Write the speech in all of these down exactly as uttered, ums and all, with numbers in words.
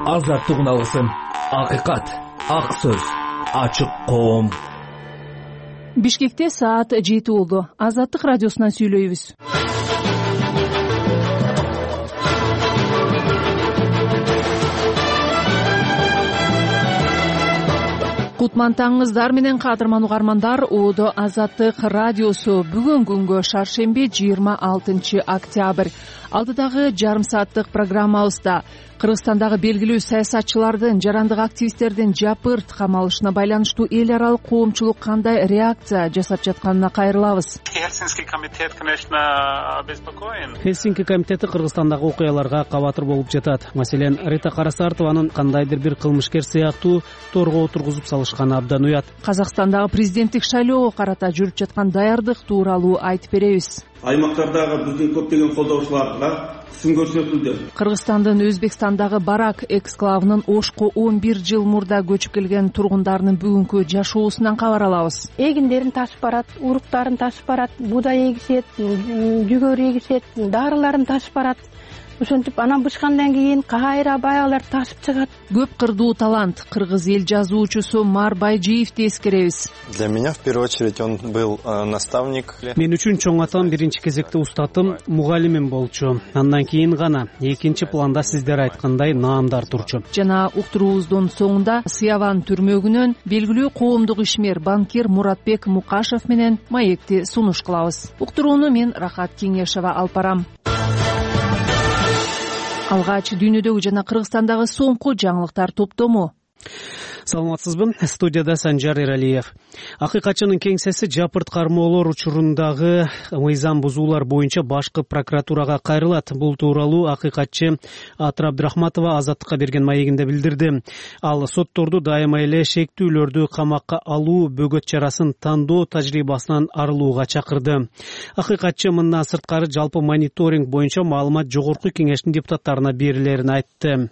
азаттык алгысым, акыйкат, ак сөз, ачык коом. Бишкекте саат жети болду. Азаттык радиосунан сүйлөйбүз. Кутмантаңыздар менен кадырман угармандар. Оодо Азаттык радиосу. Бүгүн күнгө шаршемби жыйырма алтынчы октябрь. Алдыдагы жарым сааттык программабызда Кыргызстандагы белгилүү саясатчылардын, жарандык активисттердин жапырт камалышына байланыштуу эл аралык коомчулук кандай реакция жасап жатканына кайрылабыз. Хельсинский комитет, конечно, обеспокоен. Хельсинки комитети Кыргызстандагы окуяларга кабатыр болуп жатат. Маселен, Рита Карасартованын кандайдыр бир кылмышкер сыяктуу торго отургузуп салышканы абдан уят. Казакстандагы президенттик шайлоого карата жүрүп жаткан даярдык тууралуу айтып беребиз. Аймактардагы биздин көптөгөн колдоочуларга кысым көрсөтүлдү. Кыргызстандын Өзбекстандагы Барак эксклавынын Ошко он бир жыл мурда көчүп келген тургундарынын бүгүнкү жашоосунан кабар алабыз. Эгиндерин ташып барат, уруктарын ташып барат, буудай эгишет, жүгөрү эгишет, дарыларын ташып барат. Ошентип анан бышкандан кийин кайра баягылар ташып чыгат. Көп кырдуу талант кыргыз эл жазуучусу Мар Байжиевди эскеребиз. Для меня в первую очередь он был наставник. Мен үчүн чоң атам биринчи кезекте устатым, мугалимим болчу. Андан кийин гана экинчи планда сиздер айткандай наамдар турчу. Жана уктуруубуздун соңунда Сыяван түрмөгүнөн белгилүү коомдук ишмер банкир Муратбек Мукашев менен маекти сунуш кылабыз. Уктурууну мен Рахат Кеңешева алып барам. Алгач дүйнөдөгү жана Кыргызстандагы соңку жаңылыктар топтому. Саламатсызбы? Студияда Санжар Эралиев. Акыйкатчынын кеңсеси жапырт кармоолор учурундагы мыйзам бузуулар боюнча башкы прокуратурага кайрылат. Бул тууралуу акыйкатчы Атыр Абдрахматова Азаттыкка берген маегинде билдирди. Ал сотторду дайыма эле шектүүлөрдү камакка алуу бөгөт чарасын тандоо тажрыйбасынан арылууга чакырды. Акыйкатчы мындан сырткары жалпы мониторинг боюнча маалымат жогорку кеңештин депутаттарына берилерин айтты.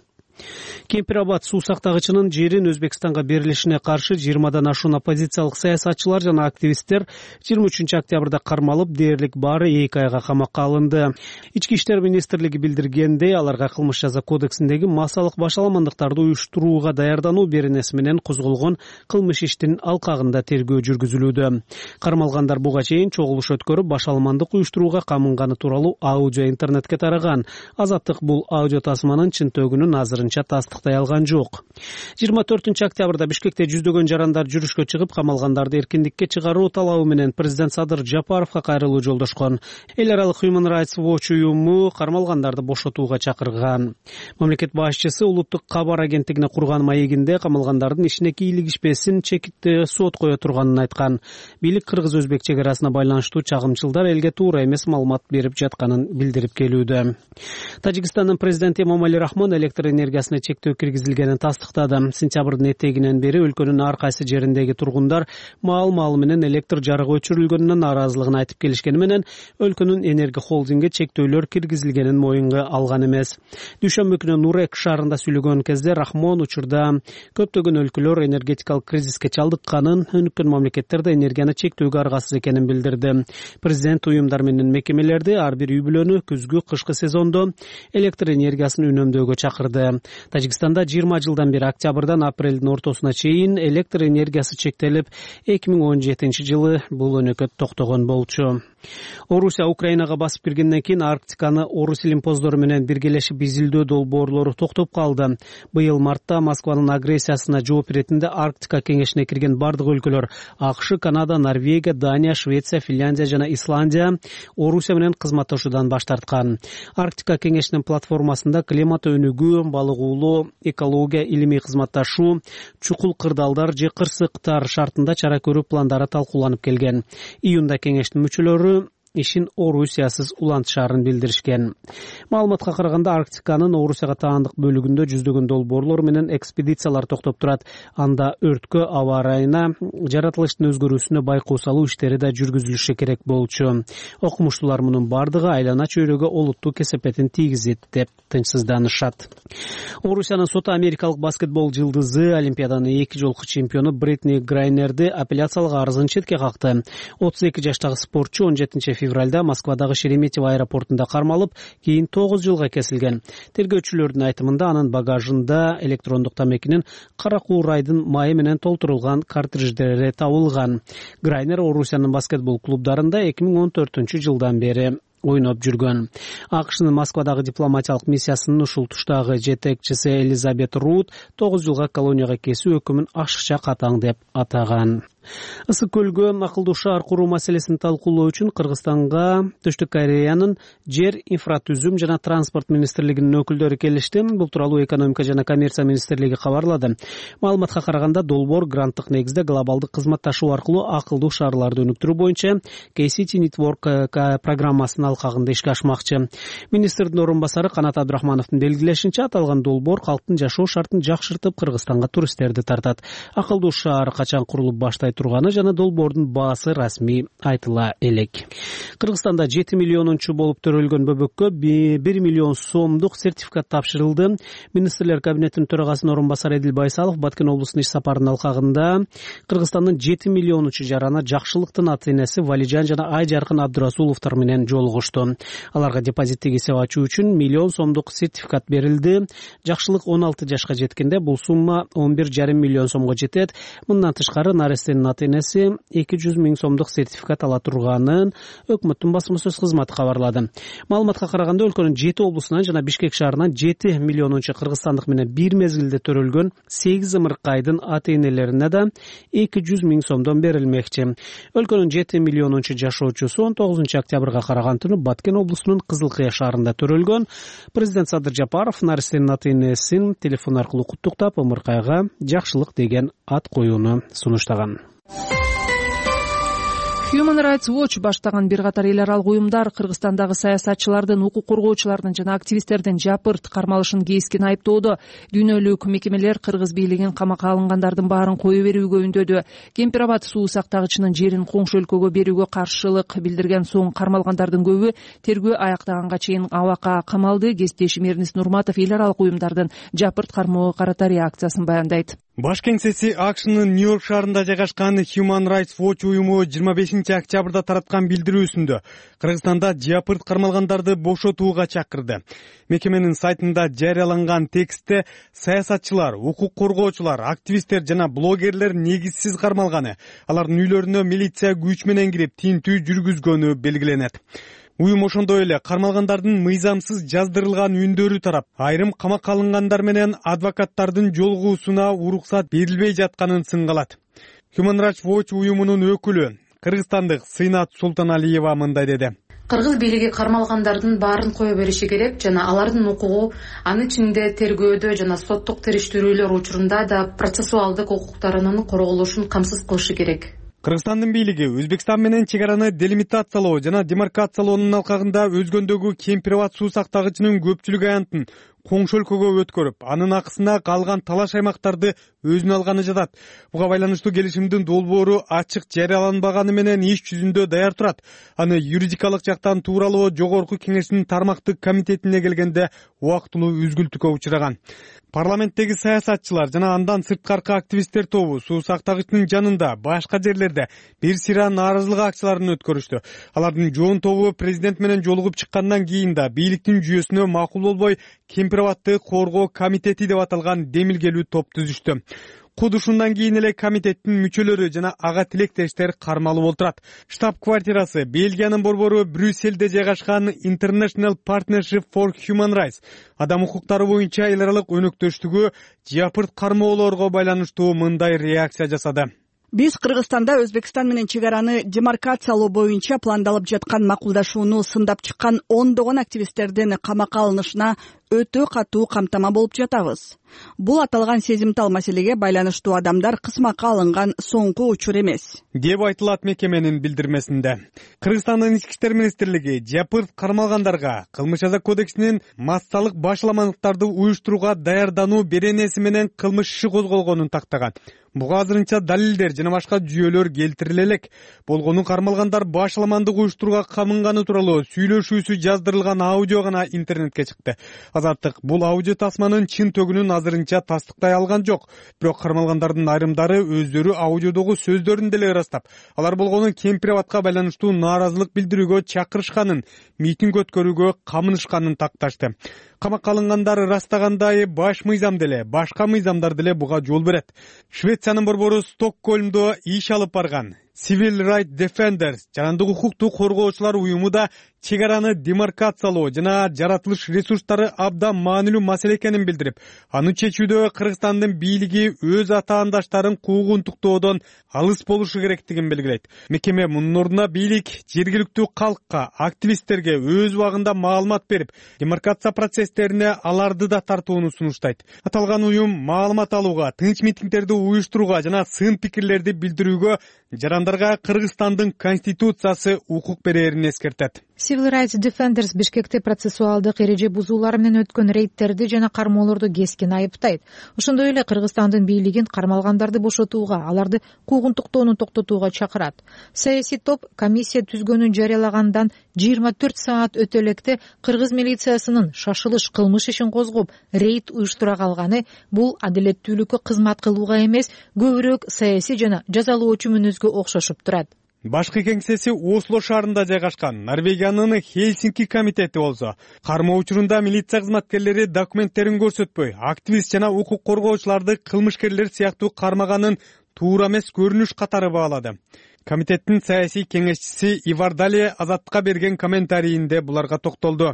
Кемпирабад суу сактагычынын жерин Өзбекстанга берилишине каршы жыйырмадан ашуун оппозициялык саясатчылар жана активисттер жыйырма үчүнчү октябрда кармалып, дээрлик баары эки айга камакка алынды. Ички иштер министрлиги билдиргендей, аларга кылмыш жаза кодексиндеги массалык башаламандыктарды уюштурууга даярдануу беренеси менен козголгон кылмыш иштин алкагында тергөө жүргүзүлүүдө. Кармалгандар буга чейин чогулуш өткөрүп, башаламандык уюштурууга камынганы тууралуу аудио интернетке тараган. Азаттык бул аудио тасманын чынтөгүнүн азырынча тастыктай алган жок. жыйырма төртүнчү октябрда Бишкекте жүздөгөн жарандар жүрүшкө чыгып, камалгандарды эркиндикке чыгаруу талабы менен президент Садыр Жапаровго кайрылуу жолдошкон. Эл аралык Human Rights Watch уюму кармалгандарды бошотууга чакырган. Мамлекет башчысы улуттук кабар агенттигине курган маегинде камалгандардын ишине кийлигишпесин чекитте сот кое турганын айткан. Бийлик кыргыз-өзбек чек арасына байланыштуу чагымчылдар элге туура эмес маалымат берип жатканын билдирип келүүдө. Тажикстандын президенти Эмомали Рахмон электр энергиясына чектөө киргизилгенин тастыктады. Сентябрдын этегинен бери өлкөнүн ар кайсы жериндеги тургундар маал-маал менен электр жарыгы өчүрүлгөнүнөн нааразылыгын айтып келишкени менен өлкөнүн энерги холдинги чектөөлөр киргизилгенин моюнга алган эмес. Дүйшөмбү күнү Нурек шаарында сүйлөгөн кезде Рахмон учурда көптөгөн өлкөлөр энергетикалык кризиске чалдыкканын, өнүккөн мамлекеттерде энергияны чектөөгө аргасыз экенин билдирди. Президент уюмдар менен мекемелерди ар бир үй бүлөнү күзгү кышкы сезондо электр энергиясын үнөмдөөгө чакырды. Тажикстанда жыйырма жылдан бери октябрдан апрелдин ортосуна чейин электр энергиясы чектелип, эки миң он жетинчи жылы бул өнөкөт токтогон болчу. Орусия Украинага басып киргенден кийин Арктиканы Орус илимпоздору менен биргелешип изилдөө долбоорлору токтоп калды. Быйыл мартта Москванын агрессиясына жооп иретинде Арктика кеңешине кирген бардык өлкөлөр АКШ, Канада, Норвегия, Дания, Швеция, Финляндия жана Исландия Орусия менен кызматташуудан баш тарткан. Арктика кеңешинин платформасында климат өнүгүү, балык уулоо, экология, илимий кызматташуу, чукул кырдаалдар же кырсыктар шартында чара көрүү пландары талкууланып келген. Июнда кеңештин мүчөлөрү ишин Орусиясыз улантышаарын билдиришкен. Маалыматка караганда Арктиканын Орусияга таандык бөлүгүндө жүздөгөн долбоорлор менен экспедициялар токтоп турат. Анда өрткө, аба ырайына, жаратылыштын өзгөрүүсүнө байкоо салуу иштери да жүргүзүлүшү керек болчу. Окумуштуулар мунун бардыгы айлана чөйрөгө олуттуу кесепетин тийгизет деп тынчсызданышат. Орусиянын соту америкалык баскетбол жылдызы, Олимпиаданын эки жолку чемпиону Бритни Грайнерди апелляциялык арызын четке какты. отуз эки жаштагы спортчу он жетинчи февралда Москвадагы Шереметьево аэропортунда кармалып, кийин тогуз жылга кесилген. Тергөөчүлөрдүн айтымында анын багажында электрондук тамекинин кара куурайдын майы менен толтурулган картридждери табылган. Грайнер Орусиянын баскетбол клубдарында эки миң он төртүнчү жылдан бери ойноп жүргөн. АКШнын Москвадагы дипломатиялык миссиясынын ушул туштагы жетекчиси Элизабет Рут тогуз жылга колонияга кесүү өкүмүн ашыкча катаң деп атаган. Ысык көлгө акылдуу шаар куруу маселесин талкуулоо үчүн Кыргызстанга Түштүк Кореянын жер, инфратүзүм жана транспорт министрлигинин өкүлдөрү келишти. Бул тууралуу экономика жана коммерция министрлиги кабарлады. Маалыматка караганда, долбоор гранттык негизде глобалдык кызматташуу аркылуу акылдуу шаарларды өнүктүрүү боюнча кей си ти Network программасынын алкагында ишке ашмакчы. Министрдин орун басары Канат Абдрахмановдун белгилешинче, аталган долбоор калктын жашоо шартын жакшыртып, Кыргызстанга туристтерди тартат. Акылдуу шаар качан курулуп баштай турганы жана долбоордун баасы расмий айтыла элек. Кыргызстанда жети миллионунчу болуп төрөлгөн бөбөккө бир миллион сомдук сертификат тапшырылды. Министрлер кабинетинин төрагасынын орун басары Эдил Байсалов Баткен облусунун иш сапарынын алкагында Кыргызстандын жети миллионунчу жарана Жакшылыктын ата-энеси Валижан жана Айжаркын Абдырасуловдор менен жолугушту. Аларга депозиттик эсеп ачуу үчүн миллион сомдук сертификат берилди. Жакшылык он алты жашка жеткенде бул сумма он бир жарым миллион сомго жетет. Мындан тышкары Нарестенин ата-энеси эки жүз миң сомдук сертификат ала турганын өкмөттүн басма сөз кызматы кабарлады. Маалыматка караганда, өлкөнүн жети облусунан жана Бишкек шаарынан жети миллионунчу кыргызстандык менен бир мезгилде төрөлгөн сегиз ымыркайдын ата-энелерине да эки жүз миң сомдон берилмекчи. Өлкөнүн жети миллионунчу жашоочусу он тогузунчу октябрга караган түнү Баткен облусунун Кызыл Кыя шаарында төрөлгөн. Президент Садыр Жапаров Нарестенин ата-энесин телефон аркылуу куттуктап, ымыркайга жакшылык деген ат коюуну сунуштаган. Human Rights Watch баштаган бир катар эл аралык уюмдар Кыргызстандагы саясатчылардын, укук коргоочулардын жана активисттердин жапырт кармалышын кескен айыптоодо. Дүйнөлүк мекемелер кыргыз бийлигин камакка алынгандардын баарын кое берүүгө үндөдү. Кемпирабад суу сактагычынын жерин коңшу өлкөгө берүүгө каршылык билдирген соң кармалгандардын көбү тергөө аяктаганга чейин абакка камалды. Кесиптешим Эрнис Нурматов эл аралык уюмдардын жапырт кармоого карата реакциясын баяндайт. Баш кеңсеси АКШнын Нью-Йорк шаарында жайгашкан Human Rights Watch уюму жыйырма бешинчи октябрда тараткан билдирүүсүндө Кыргызстанда жапырт кармалгандарды бошотууга чакырды. Мекеменин сайтында жарыяланган текстте саясатчылар, укук коргоочулар, активисттер жана блогерлер негизсиз кармалганы, алардын үйлөрүнө милиция күч менен кирип тинтүү жүргүзгөнү белгиленет. Уюм ошондой эле кармалгандардын мыйзамсыз жаздырылган үндөрү тарап, айрым камакка алынгандар менен адвокаттардын жолугуусуна уруксат берилбей жатканын сынгалат. Human Rights Watch уюмунун өкүлү, кыргызстандык Сыйнат Султаналиева мындай деди. Кыргыз бийлиги кармалгандардын баарын кое бериши керек жана алардын укугу, анын ичинде тергөөдө жана соттук териштирүүлөр учурунда да процессуалдык укуктарынын корголушун камсыз кылышы керек. Кыргызстандын бийлиги Өзбекстан менен чек араны делимитациялоо жана демаркациялоонун алкагында өзгөндөгү Кемпирабад суу сактагычынын көпчүлүк аянтын коңшу өлкөгө өткөрүп, анын акысына калган талаш аймактарды өзүнө алганы жатат. Буга байланыштуу келишимдин долбоору ачык жарыяланбаганы менен иш жүзүндө даяр турат. Аны юридикалык жактан тууралоо жогорку кеңештин тармактык комитетине келгенде убактылуу үзгүлтүккө учураган. Парламенттеги саясатчылар жана андан сырткаркы активисттер тобу суу сактагычтын жанында башка жерлерде бир сыйра нааразылык акцияларын өткөрүштү. Алардын жоон тобу президент менен жолугуп чыккандан кийин да бийликтин жүйөсүнө макул болбой, Кемпирабадды коргоо комитети деп аталган демилгелүү топ түзүштү. Куд ушундан кийин эле комитеттин мүчөлөрү жана ага тилектештер кармалып отурат. Штаб-квартирасы Бельгиянын борбору Брюсселде жайгашкан International Partnership for Human Rights адам укуктары боюнча эл аралык өнөктөштүгү жапырт кармоолорго байланыштуу мындай реакция жасады. Биз Кыргызстанда Өзбекстан менен чек араны демаркациялоо боюнча пландалып жаткан макулдашууну сындап чыккан ондогон активисттердин камакка алынышына өтө катуу камтама болуп жатабыз. Бул аталган сезимтал маселеге байланыштуу адамдар кысмакка алынган соңку учур эмес, деп айтылат мекеменин билдирмесинде. Кыргызстандын ички иштер министрлиги жапырт кармалгандарга кылмыш жаза кодексинин массалык башаламандыктарды уюштурууга даярдануу беренеси менен кылмыш иши козголгонун тактаган. Буга азырынча далилдер жана башка жүйөлөр келтириле элек. Болгону кармалгандар башаламандык уюштурууга камынганы тууралуу сүйлөшүүсү жаздырылган аудио гана интернетке чыкты. Азаттык бул аудио тасманын чын төгүнүн азырынча тастыктай алган жок. Бирок кармалгандардын айрымдары өздөрү аудиодогу сөздөрүн деле ырастап, алар болгону Кемпир-Абадка байланыштуу нааразылык билдирүүгө чакырышканын, митинг өткөрүүгө камынышканын такташты. Камакка алынгандар ырастагандай баш мыйзам деле, башка мыйзамдар деле буга жол берет. Швециянын борбору Стокгольмдо иш алып барган Civil Rights Defenders жарандык укукту коргоочулар уюму да чек араны демаркациялоо жана жаратылыш ресурстары абдан маанилүү маселе экенин билдирип, аны чечүүдө Кыргызстандын бийлиги өз атаандаштарын куугунтуктоодон алыс болушу керектигин белгилейт. Мекеме мунун ордуна бийлик жергиликтүү калкка, активисттерге өз убагында маалымат берип, демаркация процесстерине аларды да тартууну сунуштайт. Аталган уюм маалымат алууга, тынч митингдерди уюштурууга жана сын пикирлерди билдирүүгө жарандарга Кыргызстандын конституциясы укук берерин эскертет. Civil Rights Defenders Бишкекте процессуалдык эреже бузуулар менен өткөн рейдтерди жана кармоолорду кескин айыптайт. Ошондой эле Кыргызстандын бийлигин кармалгандарды бошотууга, аларды куугунтуктоону токтотууга чакырат. Саясий топ комиссия түзгөнүн жарыялагандан жыйырма төрт саат өтө электе кыргыз милициясынын шашылыш кылмыш ишин козгоп, рейд уюштура калганы бул адилеттүүлүккө кызмат кылууга эмес, көбүрөөк саясий жана жазалоочу мүнөзгө окшошуп турат. Башкы кеңсеси Осло шаарында жайгашкан. Норвегиянын Хельсинки комитети болсо, кармоо учурунда милиция кызматкерлери документтерин көрсөтпөй, активист жана укук коргоочуларды кылмышкерлер сыяктуу кармаганын туура эмес көрүнүш катары баалады. Комитеттин саясий кеңешчиси Ивар Дале Азаттыкка берген комментарийинде буларга токтолду.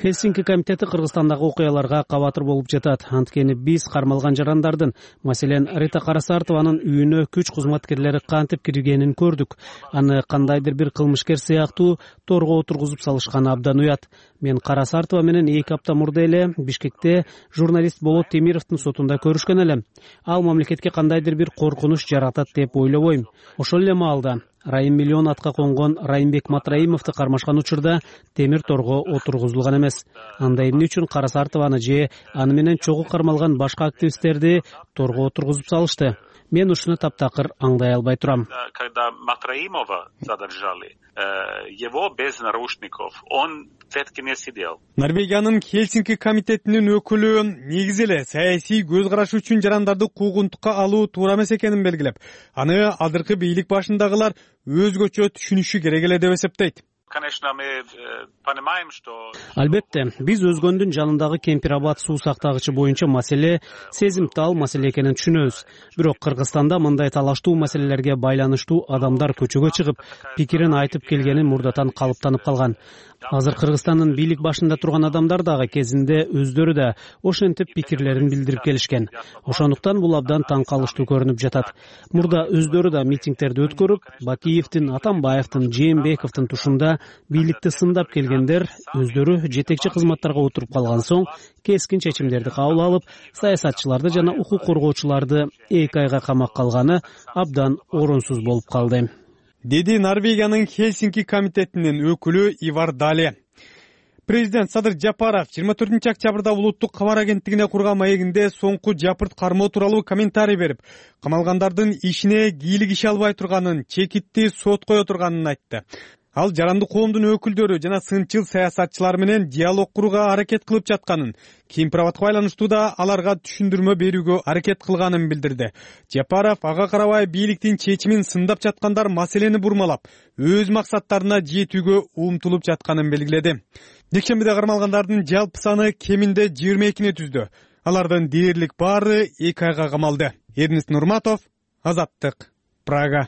Хельсинки комитети Кыргызстандагы окуяларга кабатыр болуп жатат. Анткени биз кармалган жарандардан, маселен, Рита Карасартованын үйүнө күч кызматкерлери кантип киргенин көрдүк. Аны кандайдыр бир кылмышкер сыяктуу торго отургузуп салышканы абдан уят. Мен Карасартова менен эки апта мурда эле Бишкекте журналист Болот Темировдун сотунда көрүшкөн элем. Ал мамлекетке кандайдыр бир коркунуч жаратат деп ойлобойм. Ошол эле маалда Райым миллион атка конгон Райымбек Матраимовду кармашкан учурда темир торго отургузулган эмес. Анда эмне үчүн Карасартованы же аны менен чогуу кармалган башка активисттерди торго отургузуп салышты? Мен ушуну таптакыр аңдай албай турам. Когда Матраимова задержали, его без наручников, он клетке не сидел. Норвегиянын Хельсинки комитетинин өкүлү негизи эле саясий көз карашы үчүн жарандарды куугунтукка алуу туура эмес экенин белгилеп, аны азыркы бийлик башындагылар өзгөчө түшүнүшү керек эле деп эсептейт. Албетте, биз өзгөндүн жанындагы Кемпир-Абад суу сактагычы боюнча маселе сезимтал маселе экенин түшүнөбүз. Бирок Кыргызстанда мындай талаштуу маселелерге байланыштуу адамдар көчөгө чыгып, пикирин айтып келгени мурдатан калыптанып калган. Азыр Кыргызстандын бийлик башында турган адамдар дагы кезинде өздөрү да ошентип пикирлерин билдирип келишкен. Ошондуктан бул абдан таң калыштуу көрүнүп жатат. Мурда өздөрү да митингдерди өткөрүп, Бакиевдин, Атамбаевдин, Жээнбековдун тушунда бийликти сындап келгендер өздөрү жетекчи кызматтарга отуруп калган соң кескин чечимдерди кабыл алып, саясатчыларды жана укук коргоочуларды эки айга камакка алганы абдан орунсуз болуп калды, деди Норвегиянын Хельсинки комитетинин өкүлү Ивар Дале. Президент Садыр Жапаров жыйырма төртүнчү октябрда улуттук кабар агенттигине курган маегинде соңку жапырт кармоо тууралуу комментарий берип, камалгандардын ишине кийлигише албай турганын, чекитти сот кое турганын айтты. Ал жарандык коомдун өкүлдөрү жана сынчыл саясатчылар менен диалог курууга аракет кылып жатканын, Кемпир-Абадка байланыштуу да аларга түшүндүрмө берүүгө аракет кылганын билдирди. Жапаров ага карабай бийликтин чечимин сындап жаткандар маселени бурмалап, өз максаттарына жетүүгө умтулуп жатканын белгиледи. Жекшембиде кармалгандардын жалпы саны кеминде жыйырма экини түздү. Алардын дээрлик баары эки айга камалды. Эрнест Нурматов, Азаттык, Прага.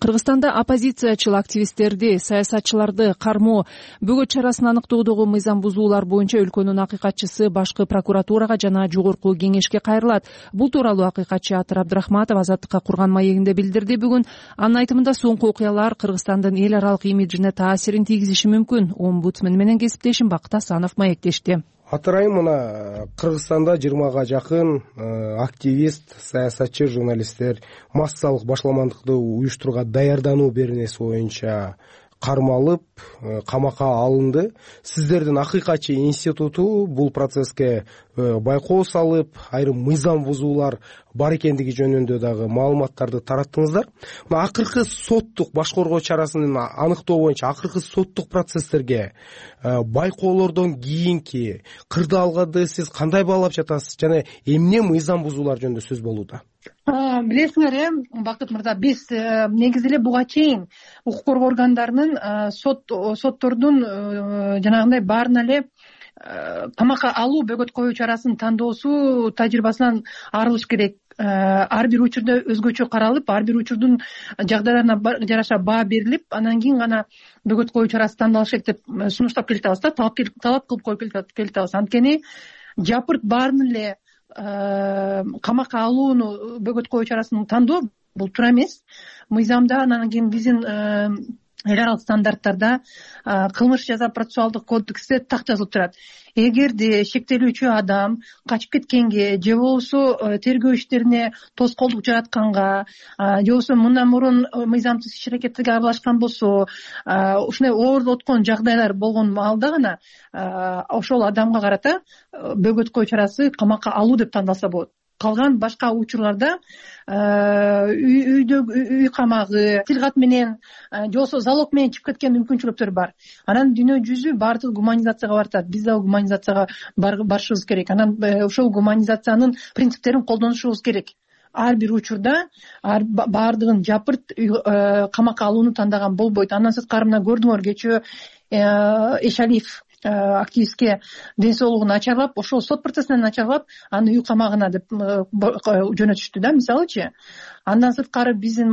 Кыргызстанда оппозициячыл активисттерди, саясатчыларды кармоо, бөгөт чарасын аныктоодогу мыйзам бузуулар боюнча өлкөнүн акыйкатчысы башкы прокуратурага жана жогорку кеңешке кайрылат. Бул тууралуу акыйкатчы Атыр Абдрахматов Азаттыкка курган маегинде билдирди. Бүгүн анын айтымында соңку окуялар Кыргызстандын эл аралык имиджине таасирин тийгизиши мүмкүн. Омбудсмен менен кесиптешим Бакыт Асанов маектешти. Атырайым мына Кыргызстанда жыйырмага жакын активист, саясатчы, журналисттер массалык башаламандыкты уюштурууга даярдануу беренеси боюнча кармалып камакка алынды. Сиздердин Акыйкатчы институту бул процесске байкоо салып, айрым мыйзам бузуулар бар экендиги жөнүндө дагы маалыматтарды тараттыңыздар. Мына акыркы соттук баш коргоо чарасын аныктоо боюнча акыркы соттук процесстерге байкоолордон кийинки кырдаалгарды сиз кандай баалап жатасыз жана эмне мыйзам бузуулар жөнүндө сөз болууда? Билесиңер э, Бакыт мырза, биз негизи эле буга чейин укук коргоо органдарынын сот соттордун жанагындай баарына эле камакка алуу бөгөт коюу чарасын тандоосу тажрыйбасынан арылыш керек. Ар бир учурда өзгөчө каралып, ар бир учурдун жагдайларына жараша баа берилип, анан кийин гана бөгөт коюу чарасы тандалыш керек деп сунуштап келатабыз да, талап кылып коюп келатабыз. Анткени жапырт баарын эле камакка алууну бөгөт коюу чарасын тандоо бул туура эмес. Мыйзамда, анан кийин биздин эл аралык стандарттарда, кылмыш жаза процессуалдык кодексте так жазылып турат. Эгерде шектелүүчү адам качып кеткенге же болбосо тергөө иштерине тоскоолдук жаратканга же болбосо мындан мурун мыйзамсыз иш аракеттерге аралашкан болсо, ушундай оорлоткон жагдайлар болгон маалда гана ошол адамга карата бөгөт коюу чарасы камакка алуу деп тандалса болот. Калган башка учурларда үйдө үй камагы, тилгат менен же болбосо залог менен чыгып кеткен мүмкүнчүлүктөр бар. Анан дүйнө жүзү баардыгы гуманизацияга баратат. Биз дагы гуманизацияга барышыбыз керек. Анан ошол гуманизациянын принциптерин колдонушубуз керек. Ар бир учурда баардыгын жапырт камакка алууну тандаган болбойт. Андан сырткары мына көрдүңөр, кечээ Эшалиев активистке ден соолугун начарлап, ошол сот процессинен начарлап, аны үй камагына деп жөнөтүштү да, мисалычы. Андан сырткары биздин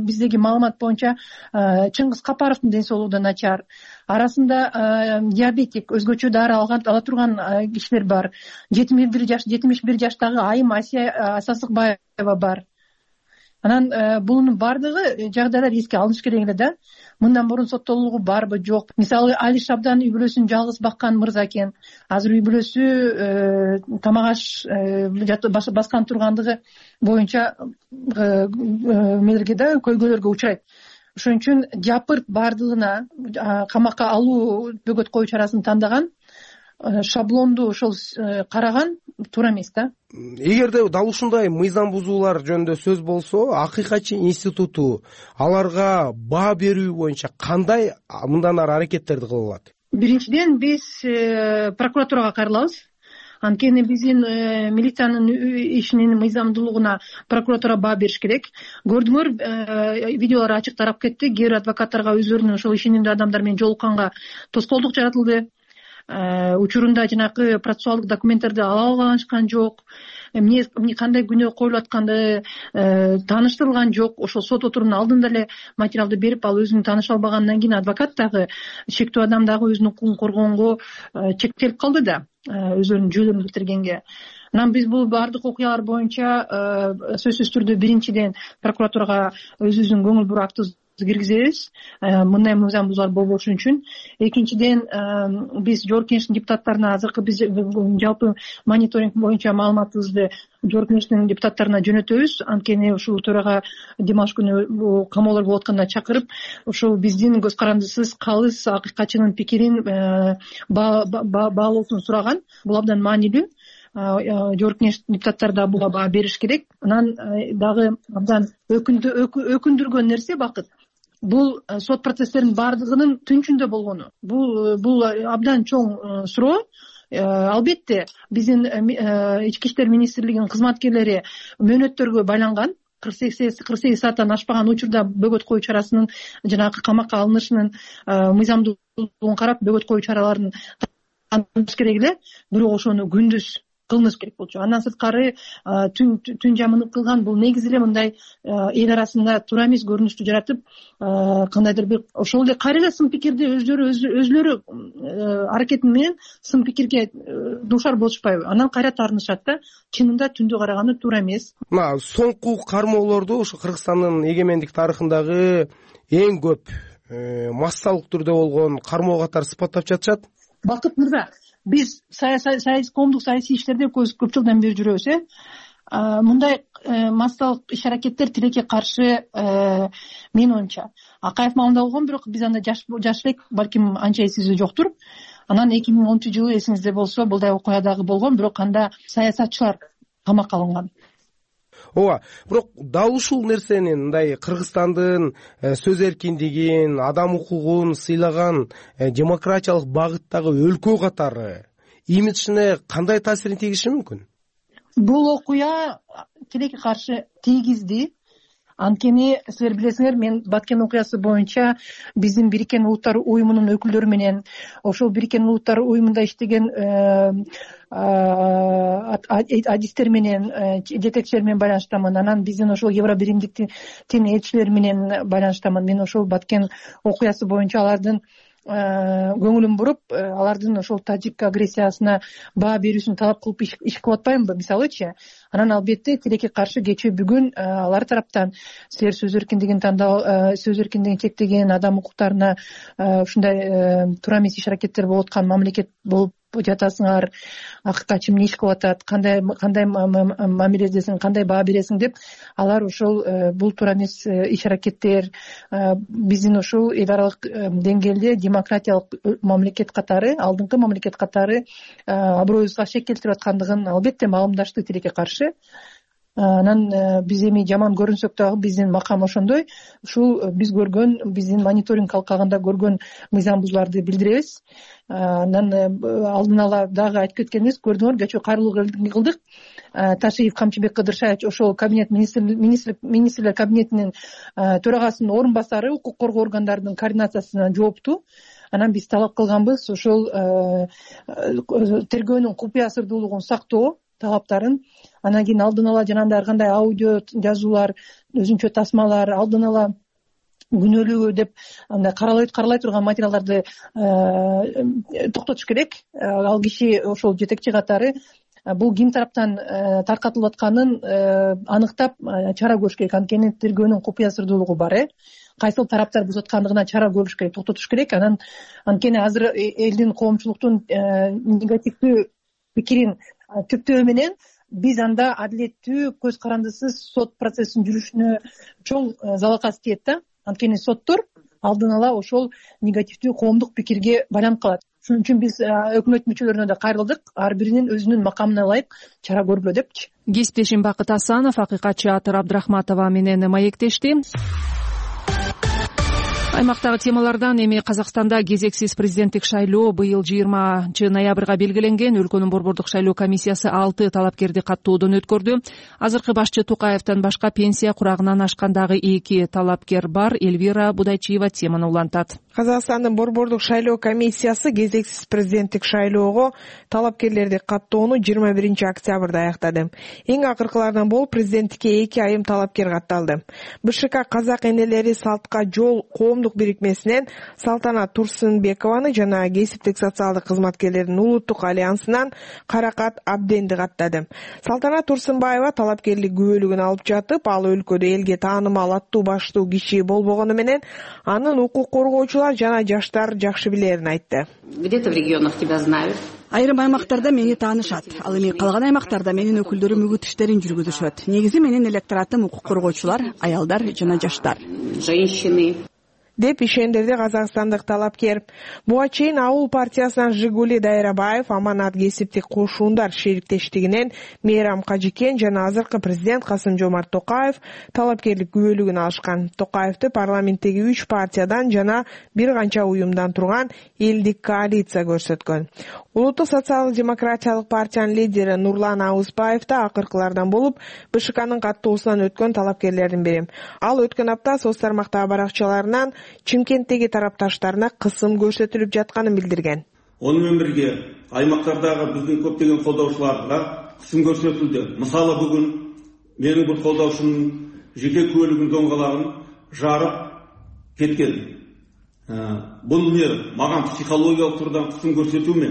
биздеги маалымат боюнча Чыңгыз Капаровдун ден соолугу да начар. Арасында диабетик, өзгөчө дары ала турган кишилер бар. жетимиш бир жаш жетимиш бир жаштагы айым Асия Асасыкбаева бар. Анан бунун баардыгы жагдайлар эске алыныш керек эле да. Мындан мурун соттолуугу барбы, жок. Мисалы Али Шабдан үй бүлөсүн жалгыз баккан мырза экен. Азыр үй бүлөсү тамак аш баскан тургандыгы боюнча мелерге да, көйгөйлөргө учурайт. Ошон үчүн жапырт баардыгына камакка алуу бөгөт коюу чарасын тандаган, шаблонду ошол караган туура эмес да. Эгерде дал ушундай мыйзам бузуулар жөнүндө сөз болсо, Акыйкатчы институту аларга баа берүү боюнча кандай мындан ары аракеттерди кыла алат? Биринчиден, биз прокуратурага кайрылабыз. Анткени биздин милициянын ишинин мыйзамдуулугуна прокуратура баа бериш керек. Көрдүңөр, видеолор ачык тарап кетти. Кээ бир адвокаттарга өздөрүнүн ошол ишенимдүү адамдар менен жолукканга тоскоолдук жаратылды. Учурунда жанагы процессуалдык документтерди ала алышкан жок. Эмне кандай күнөө коюлуп атканды тааныштырылган жок. Ошол сот отурумунун алдында эле материалды берип, ал өзүн тааныша албагандан кийин адвокат дагы, шектүү адам дагы өзүнүн укугун коргоонго чектелип калды да, өздөрүнүн жүйөлөрүн билдиргенге. Анан биз бул баардык окуялар боюнча сөзсүз түрдө биринчиден прокуратурага өзүбүздүн көңүл бурактыбызды киргизебиз, мындай мыйзам бузуулар болбошу үчүн. Экинчиден, биз Жогорку Кеңештин депутаттарына, азыркы биз жалпы мониторинг боюнча маалыматыбызды Жогорку Кеңештин депутаттарына жөнөтөбүз. Анткени ушул төрага демалыш күнү камоолор болуп атканда чакырып, ушул биздин көз карандысыз, калыс Акыйкатчынын пикирин баалоосун сураган. Бул абдан маанилүү. Жогорку Кеңеш депутаттары да буга баа бериш керек. Анан дагы абдан өкүндүргөн нерсе, Бакыт, бул сот процесстеринин баардыгынын түнчүндө болгону. Бул бул абдан чоң суроо. Албетте биздин ички иштер министрлигинин кызматкерлери мөөнөттөргө байланган. кырк сегиз сааттан ашпаган учурда бөгөт коюу чарасынын жанагы камакка алынышынын мыйзамдуулугун карап бөгөт коюу чараларын тандаш керек эле. Бирок ошону күндүз кылыныш керек болчу. Андан сырткары түн түн жамынып кылган бул негизи эле мындай эл арасында туура эмес көрүнүштү жаратып, кандайдыр бир ошол эле кайра эле сын пикирди өздөрү өзүлөрү аракети менен сын пикирге дуушар болушпайбы? Анан кайра таарынышат да. Чынында түндү караганда туура эмес. Мына соңку кармоолорду ошо Кыргызстандын эгемендик тарыхындагы эң көп массалык түрдө болгон кармоо катары сыпаттап жатышат. Бакыт мырза, биз саясий коомдук саясий иштерде көп жылдан бери жүрөбүз, э. Мындай массалык иш аракеттер тилекке каршы менин оюмча. Акаев маалында болгон, бирок биз анда жаш жаш элек, балким анча эсибизде жоктур. Анан эки миң онунчу жылы эсиңизде болсо булдай окуя дагы болгон, бирок анда саясатчылар камакка алынган. ооба, бирок дал ушул нерсени мындай Кыргызстандын сөз эркиндигин, адам укугун сыйлаган демократиялык багыттагы өлкө катары имиджине кандай таасирин тийгизиши мүмкүн? Бул окуя тилекке каршы тийгизди. Анткени силер билесиңер, мен Баткен окуясы боюнча биздин Бириккен Улуттар уюмунун өкүлдөрү менен ошол Бириккен Улуттар уюмунда иштеген адистер менен, жетекчилер менен байланыштамын. Анан биздин ошол Евробиримдиктин элчилери менен байланыштамын. Мен ошол Баткен окуясы боюнча алардын көңүлүн буруп, алардын ошол тажик агрессиясына баа берүүсүн талап кылып иш кылып атпаймынбы, мисалычы. Анан албетте тилекке каршы кечээ бүгүн алар тараптан силер сөз эркиндигин тандоо, сөз эркиндигин чектеген, адам укуктарына ушундай туура эмес иш аракеттер болуп аткан мамлекет болуп жатасыңар, акыйкатчы эмне иш кылып атат, кандай кандай мамиледесиң, кандай баа бересиң деп, алар ошол бул туура эмес иш аракеттер биздин ошол эл аралык деңгээлде демократиялык мамлекет катары, алдыңкы мамлекет катары аброюбузга шек келтирип аткандыгын албетте маалымдашты тилекке каршы. Анан биз эми жаман көрүнсөк дагы биздин макам ошондой, ушул биз көргөн, биздин мониторинг алкагында көргөн мыйзам бузууларды билдиребиз. Анан алдын ала дагы айтып кеткенбиз, көрдүңөр, кечээ кайрылуу кылдык. Ташиев Камчыбек Кыдыршаевич ошол кабинет министрлер кабинетинин төрагасынын орун басары укук коргоо органдарынын координациясына жоопту. Анан биз талап кылганбыз ошол тергөөнүн купуя сырдуулугун сактоо талаптарын. Анан кийин алдын ала жанагындай ар кандай аудио жазуулар, өзүнчө тасмалар, алдын ала күнөөлүү деп андай каралбай каралбай турган материалдарды токтотуш керек. Ал киши ошол жетекчи катары бул ким тараптан таркатылып атканын аныктап чара көрүш керек. Анткени тергөөнүн купуя сырдуулугу бар, э. Кайсыл тараптар бузуп аткандыгына чара көрүш керек, токтотуш керек. Анан анткени азыр элдин, коомчулуктун негативдүү пикирин түптөө менен биз анда адилеттүү, көз карандысыз сот процессин жүрүшүнө чоң залалкасы тиет да. Анткени соттор алдын ала ошол негативдүү коомдук пикирге байланып калат. Ошон үчүн биз өкмөт мүчөлөрүнө да кайрылдык, ар биринин өзүнүн макамына ылайык чара көргүлө депчи. Кесиптешим Бакыт Асанов акыйкатчы Атыр Абдрахматова менен маектешти. Аймактагы темалардан эми Казакстанда кезексиз президенттик шайлоо быйыл жыйырманчы ноябрга белгиленген. Өлкөнүн борбордук шайлоо комиссиясы алты талапкерди каттоодон өткөрдү. Азыркы башчы Тукаевден башка пенсия курагынан ашкандагы эки талапкер бар. Эльвира Будайчиева теманы улантат. Казакстандын борбордук шайлоо комиссиясы кезексиз президенттик шайлоого талапкерлерди каттоону жыйырма биринчи октябрда аяктады. Эң акыркылардан болуп президенттикке эки айым талапкер катталды. БШК Казак энелери Салтка жол коомдук бирикмесинен Салтанат Турсунбекованы жана кесиптик социалдык кызматкерлердин улуттук альянсынан Каракат Абденди каттады. Салтанат Турсунбаева талапкерлик күбөлүгүн алып жатып, ал өлкөдө элге таанымал аттуу баштуу киши болбогону менен анын укук коргоочулар жана жаштар жакшы билерин айтты. Где-то в регионах тебя знают. Айрым аймактарда мени таанышат. Ал эми калган аймактарда менин өкүлдөрүм үгүт иштерин жүргүзүшөт. Негизи менин электоратым укук коргоочулар, аялдар жана жаштар. Женщины. Деп ишендирди казакстандык талапкер. Буга чейин Ауыл партиясынан Жигули Дайрабаев, Аманат кесиптик кошуундар шериктештигинен Мейрам Кажикен жана азыркы президент Касым-Жомарт Токаев талапкерлик күбөлүгүн алышкан. Токаевди парламенттеги үч партиядан жана бир канча уюмдан турган элдик коалиция көрсөткөн. Улуттук социал-демократиялык партиянын лидери Нурлан Аузбаев да акыркылардан болуп БШКнын каттоосунан өткөн талапкерлердин бири. Ал өткөн апта соц тармактагы баракчаларынан Чимкенттеги тарапташтарына кысым көрсөтүлүп жатканын билдирген. Ону менен бирге аймактардагы биздин көптөгөн колдоочуларга кысым көрсөтүлдү. Мисалы бүгүн менин бир колдоочумдун жеке күбөлүгүнүн доңгалагын жарып кеткен. Бул эмне мага психологиялык турдан кысым көрсөтүүмү?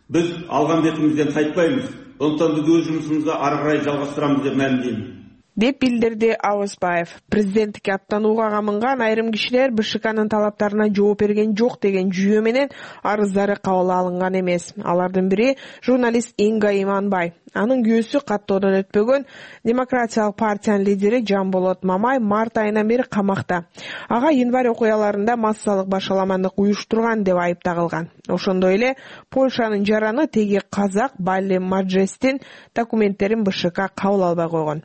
Биз алган бетибизден кайтпайбыз. Ошондон биз өз жумушубузду ары карай жалгастырабыз деп маалымдайм. Деп билдирди Аузбаев. Президенттикке аттанууга камынган айрым кишилер БШКнын талаптарына жооп берген жок деген жүйө менен арыздары кабыл алынган эмес. Алардын бири журналист Инга Иманбай. Анын күйөөсү каттоодон өтпөгөн Демократиялык партиянын лидери Жамболот Мамай март айынан бери камакта. Ага январь окуяларында массалык башаламандык уюштурган деп айыпталган. Ошондой эле Польшанын жараны теги казак Балли Маджестин документтерин БШК кабыл албай койгон.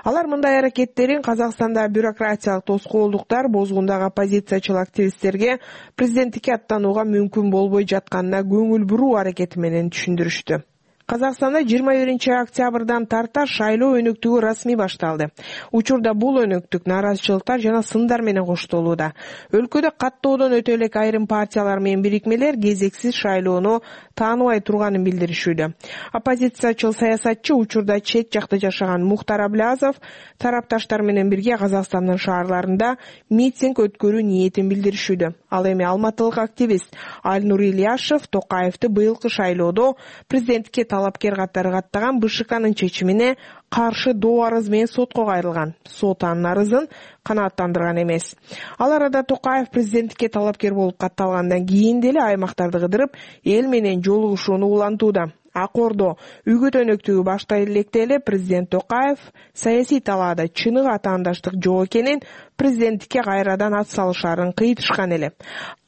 Алар мындай аракеттерин Казакстанда бюрократиялык тоскоолдуктар бозгундагы оппозициячыл активисттерге президенттикке аттанууга мүмкүн болбой жатканына көңүл буруу аракети менен түшүндүрүштү. Казакстанда жыйырма биринчи октябрдан тарта шайлоо өнөктүгү расмий башталды. Учурда бул өнөктүк нааразычылыктар жана сындар менен коштолууда. Өлкөдө каттоодон өтө элек айрым партиялар менен бирикмелер кезексиз шайлоону тааныбай турганын билдиришүүдө. Оппозициячыл саясатчы учурда чет жакта жашаган Мухтар Аблязов тарапташтар менен бирге Казакстандын шаарларында митинг өткөрүү ниетин билдиришүүдө. Ал эми алматылык активист Альнур Ильяшев Токаевди быйылкы шайлоодо президенттикке талапкер катары каттаган БШКнын чечимине каршы доо арыз менен сотко кайрылган. Сот анын арызын канааттандырган эмес. Ал арада Токаев президенттикке талапкер болуп катталгандан кийин деле аймактарды кыдырып, эл менен жолугушууну улантууда. Акордо үгүт өнөктүгү баштай электе эле президент Токаев саясий талаада чыныгы атаандаштык жок экенин, президенттикке кайрадан ат салышарын кыйтышкан эле.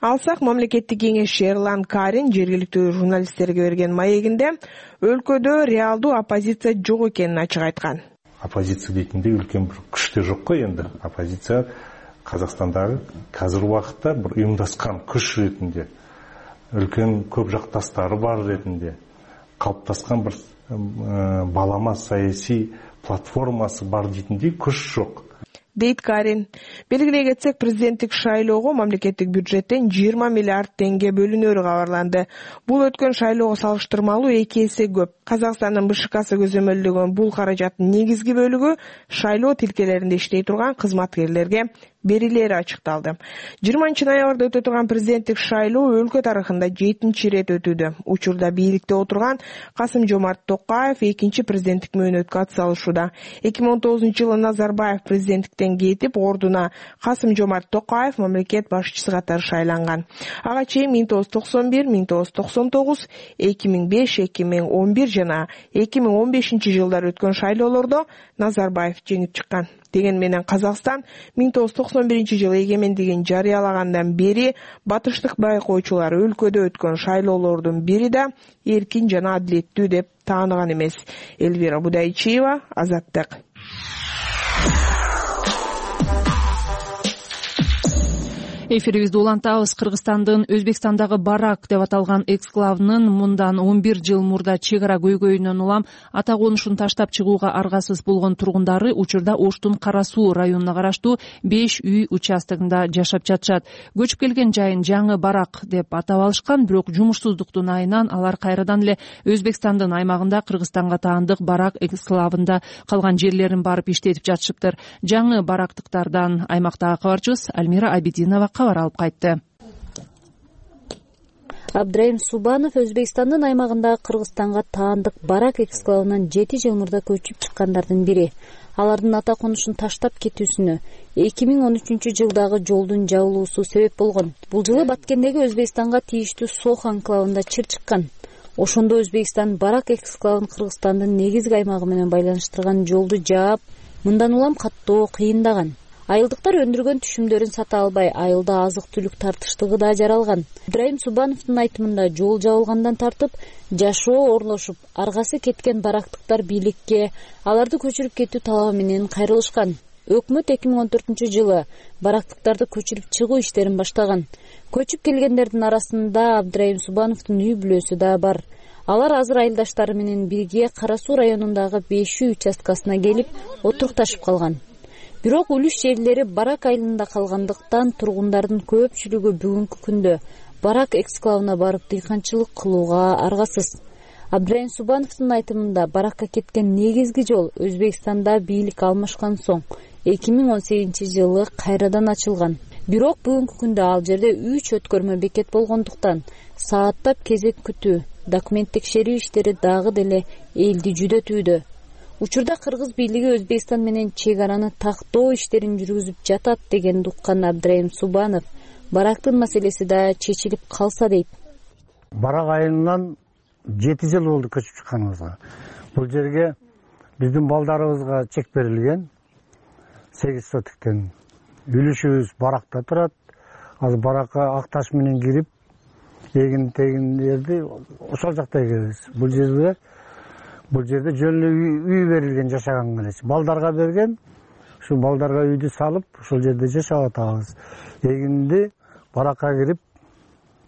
Алсак, мамлекеттик кеңешчи Эрлан Карин жергиликтүү журналисттерге берген маегинде өлкөдө реалдуу оппозиция жок экенин ачык айткан. Оппозиция дейтинде үлкен бир күч те жок кой энди. Оппозиция Казакстандагы азыр убакытта бир уюмдашкан күч ретинде, үлкен көп жакташтары бар ретинде калыптаскан бир балама саясий платформасы бар дейтиндей күч жок. Дейт Карин. Белгилей кетсек, президенттик шайлоого мамлекеттик бюджеттен жыйырма миллиард теңге бөлүнөрү кабарланды. Бул өткөн шайлоого салыштырмалуу эки эсе көп. Казакстандын БШКсы көзөмөлдөгөн бул каражаттын негизги бөлүгү шайлоо тилкелеринде иштей турган кызматкерлерге берилери ачыкталды. жыйырманчы ноябрда өтө турган президенттик шайлоо өлкө тарыхында жетинчи ирет өтүүдө. Учурда бийликте отурган Касым-Жомарт Токаев экинчи президенттик мөөнөткө ат салышууда. эки миң он тогузунчу жылы Назарбаев президенттиктен кетип, ордуна Касым-Жомарт Токаев мамлекет башчысы катары шайланган. Ага чейин миң тогуз жүз токсон бир, миң тогуз жүз токсон тогуз, эки миң беш, эки миң он бир жана эки миң он бешинчи жылдары өткөн шайлоолордо Назарбаев жеңип чыккан. Деген менен Казакстан миң тогуз жүз токсон биринчи жылы эгемендигин жарыялагандан бери батыштык байкоочулар өлкөдө өткөн шайлоолордун бири да эркин жана адилеттүү деп тааныган эмес. Элвира Будайчиева, Азаттык. Эфирибизди улантабыз. Кыргызстандын Өзбекстандагы Барак деп аталган эксклавынын мындан он бир жыл мурда чек ара көйгөйүнөн улам ата конушун таштап чыгууга аргасыз болгон тургундары учурда Оштун Кара Суу районуна караштуу беш үй участогунда жашап жатышат. Көчүп келген жайын жаңы Барак деп атап алышкан, бирок жумушсуздуктун айынан алар кайрадан эле Өзбекстандын аймагында Кыргызстанга таандык Барак эксклавында калган жерлерин барып иштетип жатышыптыр. Жаңы барактыктардан аймактагы кабарчыбыз Альмира Абидинова кабар алып кайтты. Абдрайым Субанов Өзбекстандын аймагындагы Кыргызстанга таандык Барак эксклавынан жети жыл мурда көчүп чыккандардын бири. Алардын ата конушун таштап кетүүсүнө эки миң он үчүнчү жылдагы жолдун жабылуусу себеп болгон. Бул жылы Баткендеги Өзбекстанга тийиштүү Сох анклавында чыр чыккан. Ошондо Өзбекстан Барак эксклавын Кыргызстандын негизги аймагы менен байланыштырган жолду жаап, мындан улам каттоо кыйындаган. Айылдыктар өндүргөн түшүмдөрүн сата албай, айылда азык-түлүк тартыштыгы да жаралган. Абдрайым Субановдун айтымында жол жабылгандан тартып, жашоо орлошуп, аргасы кеткен барактыктар бийликке аларды көчүрүп кетүү талабы менен кайрылышкан. Өкмөт эки миң он төртүнчү жылы барактыктарды көчүрүп чыгуу иштерин баштаган. Көчүп келгендердин арасында Абдрайым Субановдун үй бүлөсү да бар. Алар азыр айылдаштары менен бирге Кара Суу районундагы беш үй участкасына келип отурукташып калган. Бирок үлүш жерлери Барак айылында калгандыктан тургундардын көпчүлүгү бүгүнкү күндө Барак эксклавына барып дыйканчылык кылууга аргасыз. Абдрайым Субановдун айтымында Баракка кеткен негизги жол Өзбекстанда бийлик алмашкан соң эки миң он сегизинчи жылы кайрадан ачылган. Бирок бүгүнкү күндө ал жерде үч өткөрмө бекет болгондуктан сааттап кезек күтүү, документ текшерүү иштери дагы деле элди жүдөтүүдө. Учурда кыргыз бийлиги Өзбекстан менен чек араны тактоо иштерин жүргүзүп жатат деген уккан Абдрайым Субанов Барактын маселеси да чечилип калса дейт. Барак айылынан жети жыл болду көчүп чыкканыбызга. Бул жерге биздин балдарыбызга чек берилген сегиз сотиктен. Үлүшүбүз баракта турат. Азыр баракка ак таш менен кирип, эгин тегиндерди ошол жакта эгебиз. Бул жерде бул жерде жөн эле үй берилген жашаганга эле. Балдарга берген, ушу балдарга үйдү салып, ошол жерде жашап атабыз. Эгинди баракка кирип,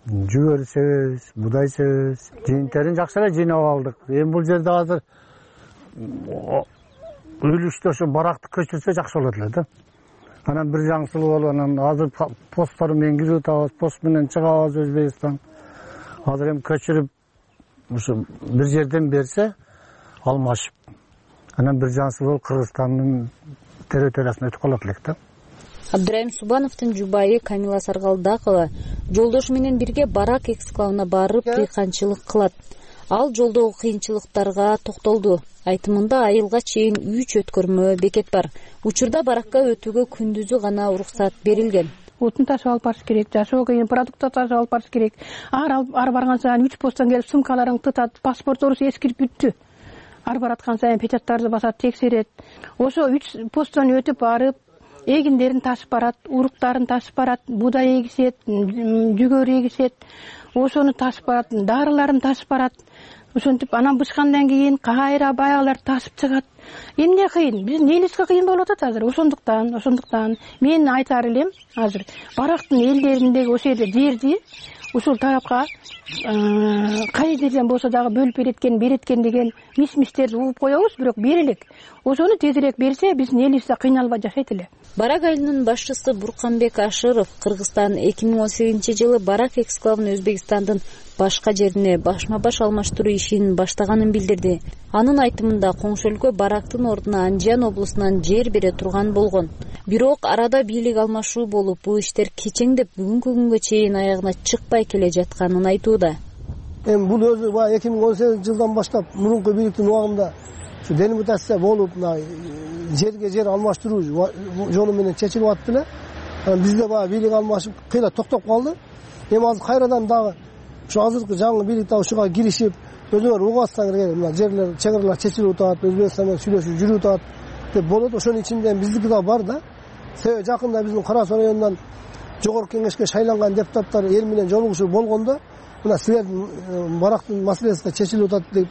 жүгөрү себебиз, будай себебиз. Жыйынтарын жакшы эле жыйнап алдык. Эми бул жерде азыр үлүштө ошо баракты көчүрсө жакшы болот эле да. Анан бир жаңсылык болуп, анан азыр посттор менен кирип атабыз, пост менен чыгабыз Өзбекстан. Азыр эми көчүрүп ушу бир жерден берсе алмашып. Анан бир жаңсылык болуп Кыргызстандын территориясына өтүп калат элек да. Абдырайым Субановдун жубайы Камила Саргалдакова жолдошу менен бирге барак эксклавына барып дыйканчылык кылат. Ал жолдогу кыйынчылыктарга токтолду. Айтымында айылга чейин үч өткөрмө бекет бар. Учурда баракка өтүүгө күндүзү гана уруксат берилген. Отун ташып алып барыш керек, жашоо кыйын, продукт ташып алып барыш керек. Ар ар барган сайын үч посттон келип сумкаларың тытат, паспорторубуз эскирип бүттү. Ар бараткан сайын печаттарды басат, текшерет. Ошо үч посттон өтүп барып, эгиндерин ташып барат, уруктарын ташып барат, будай эгишет, жүгөрү эгишет. Ошону ташып барат, дарыларын ташып барат. Ошентип анан бышкандан кийин кайра баягылар ташып чыгат. Эмне кыйын? Биздин элибизге кыйын болуп атат азыр. Ошондуктан, ошондуктан мен айтар элем, азыр барактын элдериндеги ошол жерде жерди ушул тарапка кай жерден болсо дагы бөлүп береткен, береткен деген миш-миштерди угуп коебуз, бирок берелик. Ошону тезирээк берсе, биздин элибиз да кыйналбай жашайт эле. Барак айылынын башчысы Бурканбек Ашыров Кыргызстан эки миң он сегизинчи жылы барак эксклавын Өзбекстандын башка жерине башма-баш алмаштыруу ишин баштаганын билдирди. Анын айтымында коңшу өлкө барактын ордуна Анжан облусунан жер бере турган болгон. Бирок арада бийлик алмашуу болуп, бул иштер кечеңдеп бүгүнкү күнгө чейин аягына чыкпай келе жатканын айтууда. Эми бул өзү баягы эки миң он сегизинчи жылдан баштап мурунку бийликтин убагында ушу делимитация болуп, мына жерге жер алмаштыруу жолу менен чечилип атты эле. Бизде баягы бийлик алмашып кыйла токтоп калды. Эми азыр кайрадан дагы ушу азыркы жаңы бийлик дагы ушуга киришип, өзүңөр угуп атсаңар керек, мына жерлер, чек аралар чечилип атат, Өзбекстан менен сүйлөшүп жүрүп атат деп болот. Ошонун ичинде биздики да бар да. Себеби жакында биздин Кара Суу районунан жогорку кеңешке шайланган депутаттар эл менен жолугушуу болгондо, мына силердин барактын маселеси чечилип атат деп.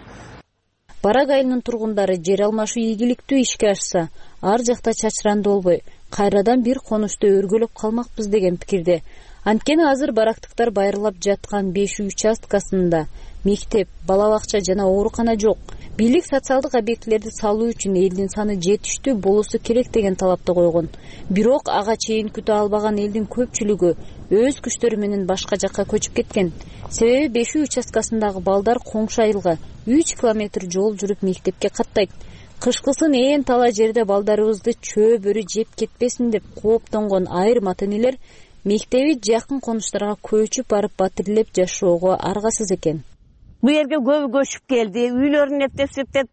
Барак айылынын тургундары жер алмашуу ийгиликтүү ишке ашса, ар жакта чачыранды болбой, кайрадан бир конушта өргөлөп калмакпыз деген пикирде. Анткени азыр барактыктар байырлап жаткан беш участкасында мектеп, бала бакча жана оорукана жок. Бийлик социалдык объектилерди салуу үчүн элдин саны жетиштүү болуусу керек деген талапты койгон. Бирок ага чейин күтө албаган элдин көпчүлүгү өз күчтөрү менен башка жакка көчүп кеткен. Себеби беш участкасындагы балдар коңшу айылга үч километр жол жүрүп мектепке каттайт. Кышкысын ээн тала жерде балдарыбызды чөө бөрү жеп кетпесин деп кооптонгон айрым ата-энелер мектеби жакын конуштарга көчүп барып батирлеп жашоого аргасыз экен. Бу жерге көбү көчүп келди, үйлөрүн эптеп-септеп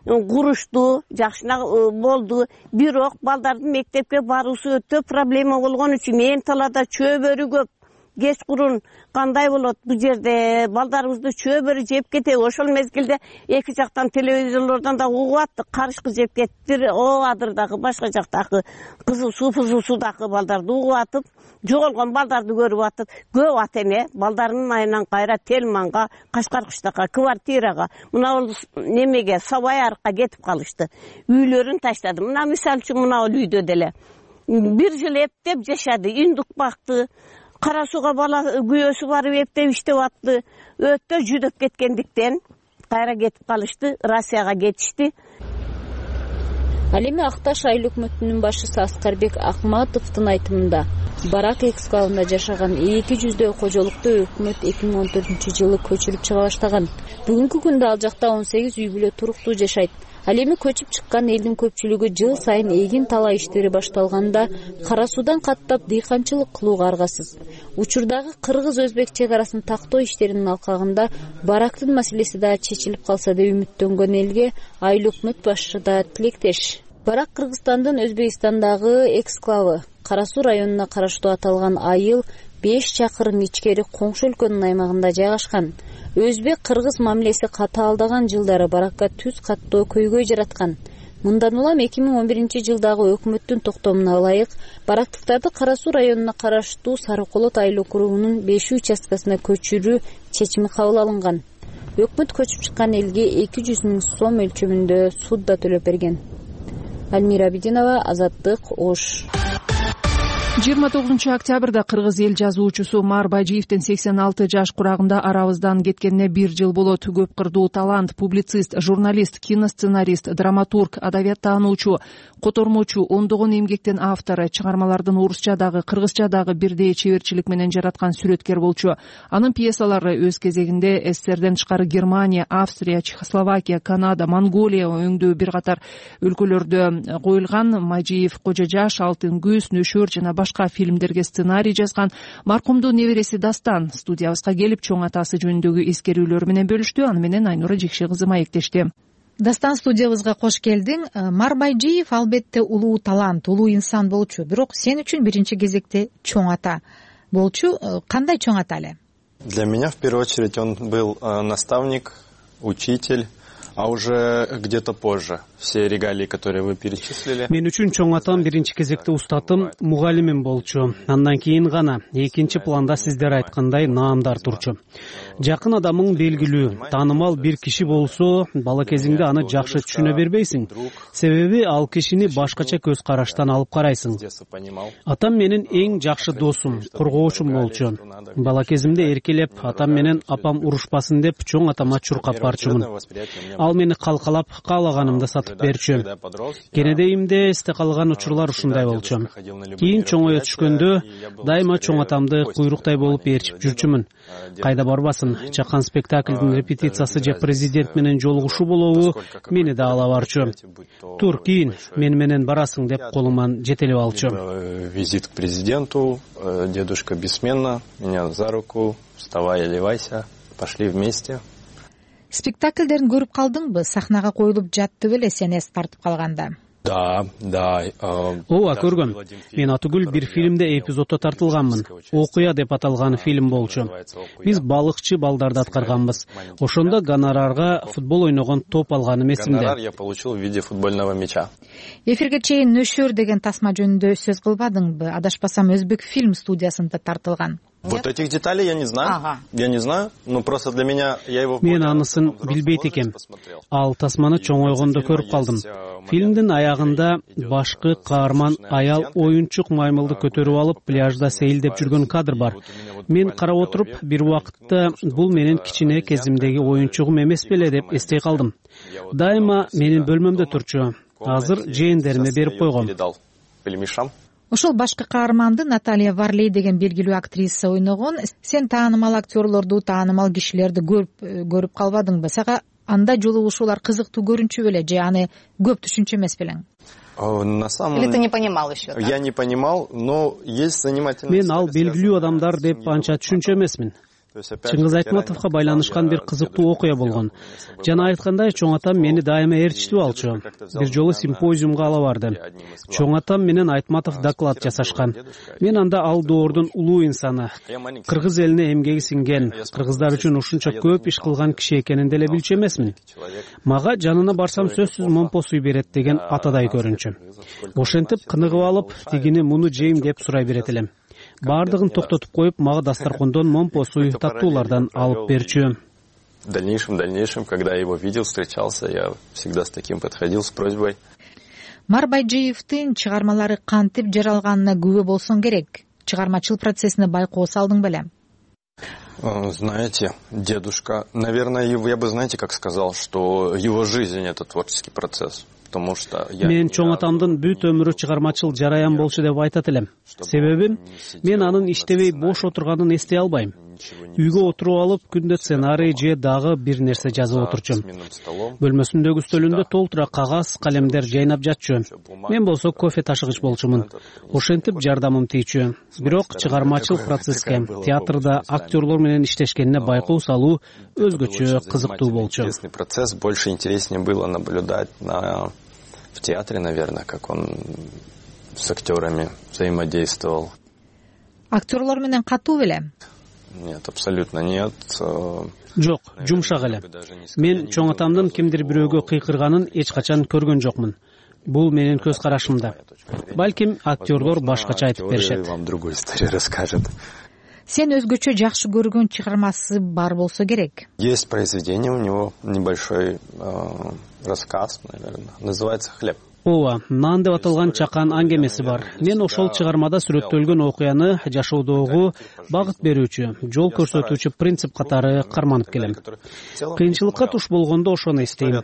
курушту, жакшына болду. Бирок балдардын мектепке баруусу өтө проблема болгон үчүн ээн талада чөө бөрү көп. Кечкурун кандай болот бу жерде балдарыбызды чөө бөрү жеп кетеби. Ошол мезгилде эки жактан телевизорлордон да угуп аттык, карышкы жеп кетти. О адырдагы башка жактагы кызыл суу, фузул суудагы балдарды угуп атып, жоголгон балдарды көрүп атып, көп ата эне балдарынын айынан кайра Телманга, Кашкаркыштакка, квартирага, мына немеге, Сабай арыкка кетип калышты. Үйлөрүн таштады. Мына мисалы үчүн мына үйдө деле бир жыл эптеп жашады, үндүк бакты. Кара Сууга бала күйөөсү барып эптеп иштеп атты. Өтө жүдөп кеткендиктен кайра кетип калышты, Россияга кетишти. Ал эми Акташ айыл өкмөтүнүн башчысы Аскарбек Акматовдун айтымында барак эксклавында жашаган эки жүздөй кожолукту өкмөт эки миң он төртүнчү жылы көчүрүп чыга баштаган. Бүгүнкү күндө ал жакта он сегиз үй бүлө туруктуу жашайт. Ал эми көчүп чыккан элдин көпчүлүгү жыл сайын эгин тала иштери башталганда Кара Суудан каттап дыйканчылык кылууга аргасыз. Учурдагы кыргыз-өзбек чек арасын тактоо иштеринин алкагында барактын маселеси да чечилип калса деп үмүттөнгөн элге айыл өкмөт башчысы да тилектеш. Барак Кыргызстандын Өзбекстандагы эксклавы. Кара Суу районуна караштуу аталган айыл беш чакырым ичкери коңшу өлкөнүн аймагында жайгашкан. Өзбек кыргыз мамилеси катаалдаган жылдары баракка түз каттоо көйгөй жараткан. Мындан улам эки миң он биринчи жылдагы өкмөттүн токтомуна ылайык барактыктарды Кара Суу районуна караштуу Сары Колот айыл округунун беш участкасына көчүрүү чечими кабыл алынган. Өкмөт көчүп чыккан элге эки жүз миң сом өлчөмүндө суд да төлөп берген. Альмира Абидинова, Азаттык, Ош. жыйырма тогузунчу октябрда кыргыз эл жазуучусу Маар Байжиевдин сексен алты жаш курагында арабыздан кеткенине бир жыл болот. Көп кырдуу талант, публицист, журналист, киносценарист, драматург, адабият таануучу, котормочу, ондогон эмгектин автору, чыгармалардын орусчадагы, кыргызчадагы бирдей чеберчилик менен жараткан сүрөткер болчу. Анын пьесалары өз кезегинде СССРден тышкары Германия, Австрия, Чехословакия, Канада, Монголия өңдүү бир катар өлкөлөрдө коюлган. Мажиев Кожо жаш, Алтын күз, Нөшөр жана башка фильмдерге сценарий жазган. Маркумдун небереси Дастан студиябызга келип чоң атасы жөнүндөгү эскерүүлөр менен бөлүштү. Аны менен Айнура Жекше кызы маектешти. Дастан, студиябызга кош келдиң. Маар Байжиев албетте улуу талант, улуу инсан болчу, бирок сен үчүн биринчи кезекте чоң ата болчу. Кандай чоң ата эле? Для меня в первую очередь он был наставник, учитель, а уже где-то позже все регалии, которые вы перечислили. Мен үчүн чоң атам биринчи кезекте устатым, мугалимим болчу. Андан кийин гана экинчи планда сиздер айткандай наамдар турчу. Жакын адамың белгилүү, таанымал бир киши болсо, бала кезиңде аны жакшы түшүнө бербейсиң. Себеби ал кишини башкача көз караштан алып карайсың. Атам менин эң жакшы досум, коргоочум болчу. Бала кезимде эркелеп, атам менен апам урушпасын деп чоң атама чуркап барчумун. Ал мени калкалап, каалаганымды сатып берчү. Кенедейимде эсте калган учурлар ушундай болчу. Кийин чоңое түшкөндө дайыма чоң атамды куйруктай болуп ээрчип жүрчүмүн. Кайда барбасын, чакан спектаклдин репетициясы же президент менен жолугушуу болобу, мени да ала барчу. Тур, кийин мени менен барасың деп колуман жетелеп алчу. Визит к президенту, дедушка бессменно меня за руку, вставай, одевайся, пошли вместе. Спектакльдерин көрүп калдыңбы? Сахнага коюлуп жатты беле сен эс тартып калганда? Да, да. Ооба, көргөм. Мен атүгүл бир фильмде эпизоддо тартылганмын. Окуя деп аталган фильм болчу. Биз балыкчы балдарды аткарганбыз. Ошондо гонорарга футбол ойногон топ алганым эсимде. Гонорар я получил в виде футбольного мяча. Эфирге чейин Нөшөр деген тасма жөнүндө сөз кылбадыңбы? Адашпасам, Өзбек фильм студиясында тартылган. Вот этих деталей я не знаю. Ага. Я не знаю, но просто для меня я его. Мен анысын билбейт экем. Ал тасманы чоңойгондо көрүп калдым. Фильмдин аягында башкы каарман аял оюнчук маймылды көтөрүп алып пляжда сейилдеп жүргөн кадр бар. Мен карап отуруп, бир убакытта бул менин кичине кезимдеги оюнчугум эмес беле деп эстей калдым. Дайыма менин бөлмөмдө турчу. Азыр жээндериме берип койгом. Ошол башкы каарманды Наталья Варлей деген белгилүү актриса ойногон. Сен таанымал актерлорду, таанымал кишилерди көрүп көрүп калбадыңбы? Сага анда жолугушуулар кызыктуу көрүнчү беле же аны көп түшүнчү эмес белең? На самом Или ты не понимал еще? Да? Я не понимал, но есть занимательные. Мен ал белгилүү адамдар деп анча түшүнчү эмесмин. Чыңгыз Айтматовго байланышкан бир кызыктуу окуя болгон. Жана айткандай, чоң атам мени дайыма ээрчитип алчу. Бир жолу симпозиумга ала барды. Чоң атам менен Айтматов доклад жасашкан. Мен анда ал доордун улуу инсаны, кыргыз элине эмгеги сиңген, кыргыздар үчүн ушунча көп иш кылган киши экенин деле билчү эмесмин. Мага жанына барсам сөзсүз момпо сүй берет деген атадай көрүнчү. Ошентип кыныгып алып, тигини муну жейм деп сурай берет элем. Бардыгын токтотуп коюп, мага дастаркондон момпо суй таттуулардан алып берчү. В дальнейшем, в дальнейшем, когда я его видел, встречался, я всегда с таким подходил, с просьбой. Маар Байжиевдин чыгармалары кантип жаралганына күбө болсоң керек. Чыгармачыл процессине байкоо салдың беле? Знаете, дедушка, наверное, я бы, знаете, как сказал, что его жизнь — это творческий процесс. Мен чоң атамдын бүт өмүрү чыгармачыл жараян болчу деп айтат элем. Себеби мен анын иштебей бош отурганын эстей албайм. Үйгө отуруп алып, күндө сценарий же дагы бир нерсе жазып отурчумун. Бөлмөсүндөгү стөлүндө толтура кагаз, калемдер жайнап жатчу. Мен болсо кофе ташыгыч болчумун. Ошентип жардамым тийчү. Бирок чыгармачыл процесске, театрда актерлор менен иштешкенине байкоо салуу өзгөчө кызыктуу болчу. Процесс больше интереснее было наблюдать на в театре, наверное, как он с актерами взаимодействовал. актерлор менен катуу беле? Нет, абсолютно нет. Жок, жумшак эле. Мен чоң атамдын кимдир бирөөгө кыйкырганын эч качан көргөн жокмун. Бул менин көз карашымда. Балким актерлор башкача айтып беришет. Вам другую историю расскажет. Сен өзгөчө жакшы көргөн чыгармасы бар болсо керек. Есть произведение у него, небольшой э, рассказ, наверное, называется «Хлеб». Ооба, нан деп аталган чакан аңгемеси бар. Мен ошол чыгармада сүрөттөлгөн окуяны жашоодогу багыт берүүчү, жол көрсөтүүчү принцип катары карманып келем. Кыйынчылыкка туш болгондо ошону эстейм.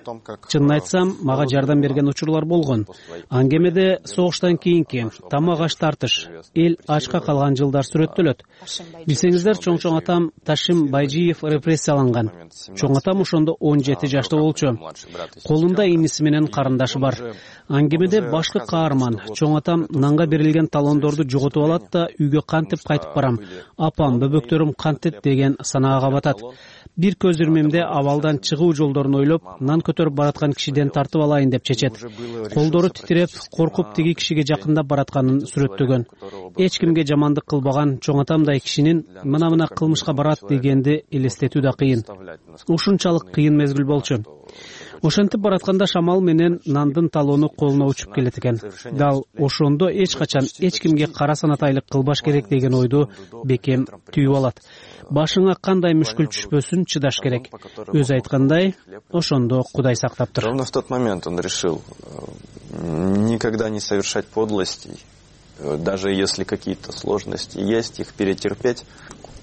Чынын айтсам, мага жардам берген учурлар болгон. Аңгемеде согуштан кийинки тамак аш тартыш, эл ачка калган жылдар сүрөттөлөт. Билсеңиздер, чоң-чоң атам Ташим Байжиев репрессияланган. Чоң атам ошондо он жети жашта болчу. Колунда иниси менен карындашы бар. Аңгемеде башкы каарман чоң атам нанга берилген талондорду жоготуп алат да үйгө кантип кайтып барам, апам, бөбөктөрүм кантет деген санаага батат. Бир көз ирмемде абалдан чыгуу жолдорун ойлоп, нан көтөрүп бараткан кишиден тартып алайын деп чечет. Колдору титиреп, коркуп тиги кишиге жакындап баратканын сүрөттөгөн. Эч кимге жамандык кылбаган чоң атамдай кишинин мына-мына кылмышка барат дегенди элестетүү да кыйын. Ушунчалык кыйын мезгил болчу. Ошентип баратканда шамал менен нандын талоону колуна учуп келет экен. Дал ошондо эч качан эч кимге кара санатайлык кылбаш керек деген ойду бекем түйүп алат. Башыңа кандай мүшкүл түшпөсүн чыдаш керек. Өзү айткандай, ошондо Кудай сактаптыр. Ровно в тот момент он решил никогда не совершать подлостей, даже если какие-то сложности есть, их перетерпеть,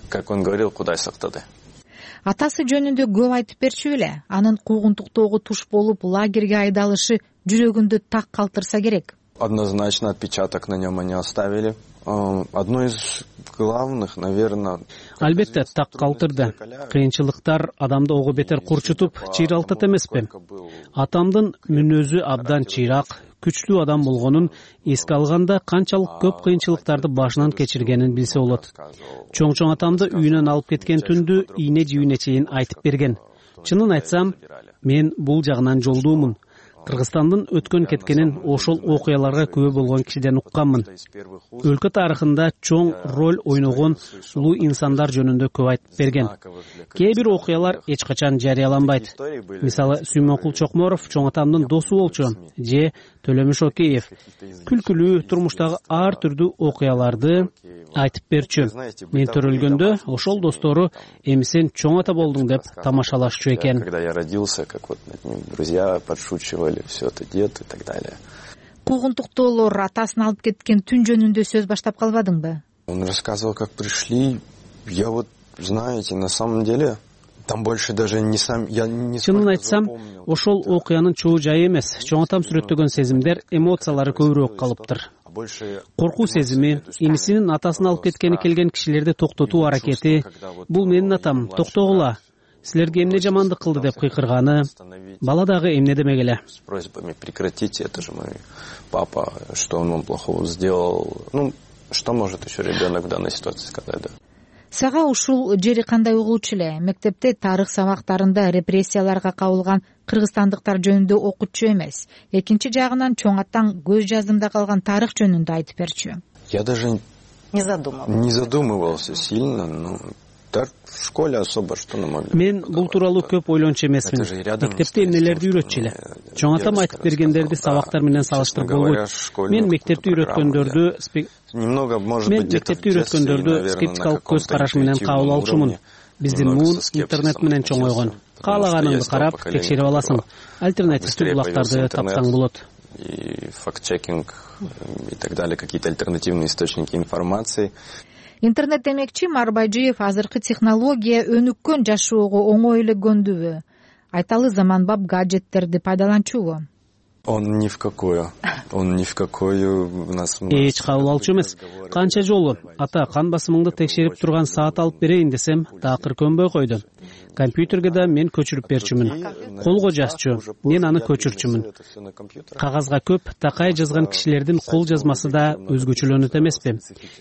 как он говорил, Кудай сактады. Атасы жөнүндө көп айтып берчү беле? Анын куугунтуктоого туш болуп лагерге айдалышы жүрөгүндө так калтырса керек. Однозначно отпечаток на нем они оставили. Одно из главных, наверное... Албетте, так калтырды. Кыйынчылыктар адамды ого бетер курчутуп, чыйралтат эмеспи? Атамдын мүнөзү абдан чыйрак, күчтүү адам болгонун эске алганда канчалык көп кыйынчылыктарды башынан кечиргенин билсе болот. Чоң-чоң атамды үйүнөн алып кеткен түндү ийне жүүнө чейин айтып берген. Чынын айтсам, мен бул жагынан жолдуумун. Кыргызстандын өткөн кеткенин ошол окуяларга күбө болгон кишиден укканмын. Өлкө тарыхында чоң роль ойногон улуу инсандар жөнүндө көп айтып берген. Кээ бир окуялар эч качан жарыяланбайт. Мисалы, Сүймөнкул Чокморов чоң атамдын досу болчу, же Төлөмүш Океев күлкүлүү турмуштагы ар түрдүү окуяларды айтып берчү. Мен төрөлгөндө ошол достору эми сен чоң ата болдуң деп тамашалашчу экен. Когда я родился, как вот друзья подшучивали, все это дед и так далее. Куугунтуктоолор атасын алып кеткен түн жөнүндө сөз баштап калбадыңбы? Он рассказывал, как пришли. Я вот, знаете, на самом деле там больше даже не сам я не Чынын айтсам, ошол окуянын чоо жайы эмес. Чоң атам сүрөттөгөн сезимдер, эмоциялары көбүрөөк калыптыр. Коркуу сезими, инисинин атасын алып кеткени келген кишилерди токтотуу аракети, бул менин атам, токтогула, силерге эмне жамандык кылды деп кыйкырганы, бала дагы эмне демек эле. С просьбами прекратить, это же мой папа, что он вам плохого сделал. Ну, что может еще ребенок в данной ситуации сказать, да? Сага ушул жери кандай угулчу эле? Мектепте тарых сабактарында репрессияларга кабылган кыргызстандыктар жөнүндө окутчу эмес. Экинчи жагынан чоң атаң көз жаздымда калган тарых жөнүндө айтып берчү. Я даже не задумывался. Не задумывался сильно, но так в школе особо что на могли. Мен бул тууралуу көп ойлончу эмесмин. Мектепте эмнелерди үйрөтчү эле. Чоң атам айтып бергендерди сабактар менен салыштырып болбойт. Мен мектепте үйрөткөндөрдү немного, может Мен быть, где-то мектепте үйрөткөндөрдү скептикалык көз караш менен кабыл алчумун. Биздин муун интернет менен чоңойгон. Каалаганыңды карап, текшерип аласың. Альтернативдүү булактарды тапсаң болот. И факт-чекинг и так далее, какие-то альтернативные источники информации. Интернет демекчи Марбайжиев азыркы технология өнүккөн жашоого оңой эле көндүбү? Айталы заманбап гаджеттерди пайдаланчубу? Он ни в какую. Он ни в какую нас... Эч кабыл алчу эмес. Канча жолу ата кан басымыңды текшерип турган саат алып берейин десем, такыр көнбөй койду. Компьютерге да мен көчүрүп берчүмүн. Колго жазчу, мен аны көчүрчүмүн. Кагазга көп такай жазган кишилердин кол жазмасы да өзгөчөлөнөт эмеспи?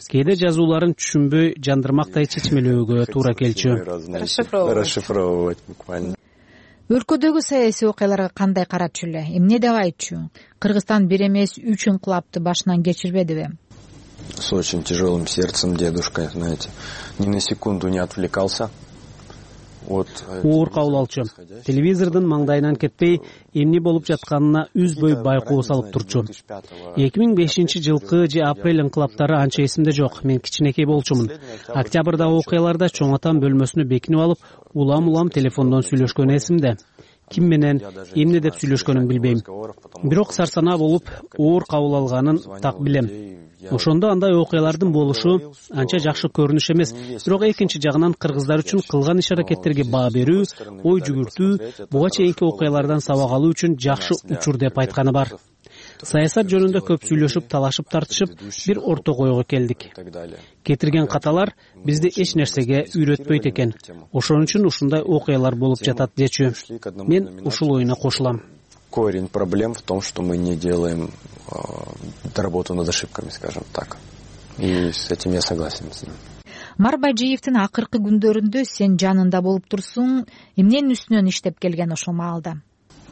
Кээде жазууларын түшүнбөй жандырмактай чечмелөөгө туура келчү. Расшифровывать буквально. Өлкөдөгү саясий окуяларга кандай карачу эле? Эмне деп айтчу? Кыргызстан бир эмес үч инкылапты башынан кечирбедиби? с очень тяжелым сердцем дедушка, знаете, ни на секунду не отвлекался. Оор кабыл алчу. Телевизордун маңдайынан кетпей, эмне болуп жатканына үзбөй байкоо салып турчу. эки миң бешинчи жылкы же апрель инкылаптары анча эсимде жок. Мен кичинекей болчумун. Октябрдагы окуяларда чоң атам бөлмөсүнө бекинип алып, улам-улам телефондон сүйлөшкөн эсимде. Ким менен, эмне деп сүйлөшкөнүн билбейм. Бирок сарсанаа болуп, оор кабыл алганын так билем. Ошондо андай окуялардын болушу анча жакшы көрүнүш эмес. Бирок экинчи жагынан кыргыздар үчүн кылган иш-аракеттерге баа берүү, ой жүгүртүү, буга чейинки окуялардан сабак алуу үчүн жакшы учур деп айтканы бар. Саясат жөнүндө көп сүйлөшүп, талашып тартышып, бир орток ойго келдик. Кетирген каталар бизди эч нерсеге үйрөтпөйт экен. Ошон үчүн ушундай окуялар болуп жатат дечү. Мен ушул оюна кошулам. Корень проблем в том, что мы не делаем э, работу над ошибками, скажем так. И с этим я согласен с ним. Мар Байжиевдин акыркы күндөрүндө сен жанында болуп турсуң, эмненин үстүнөн иштеп келген ошол маалда?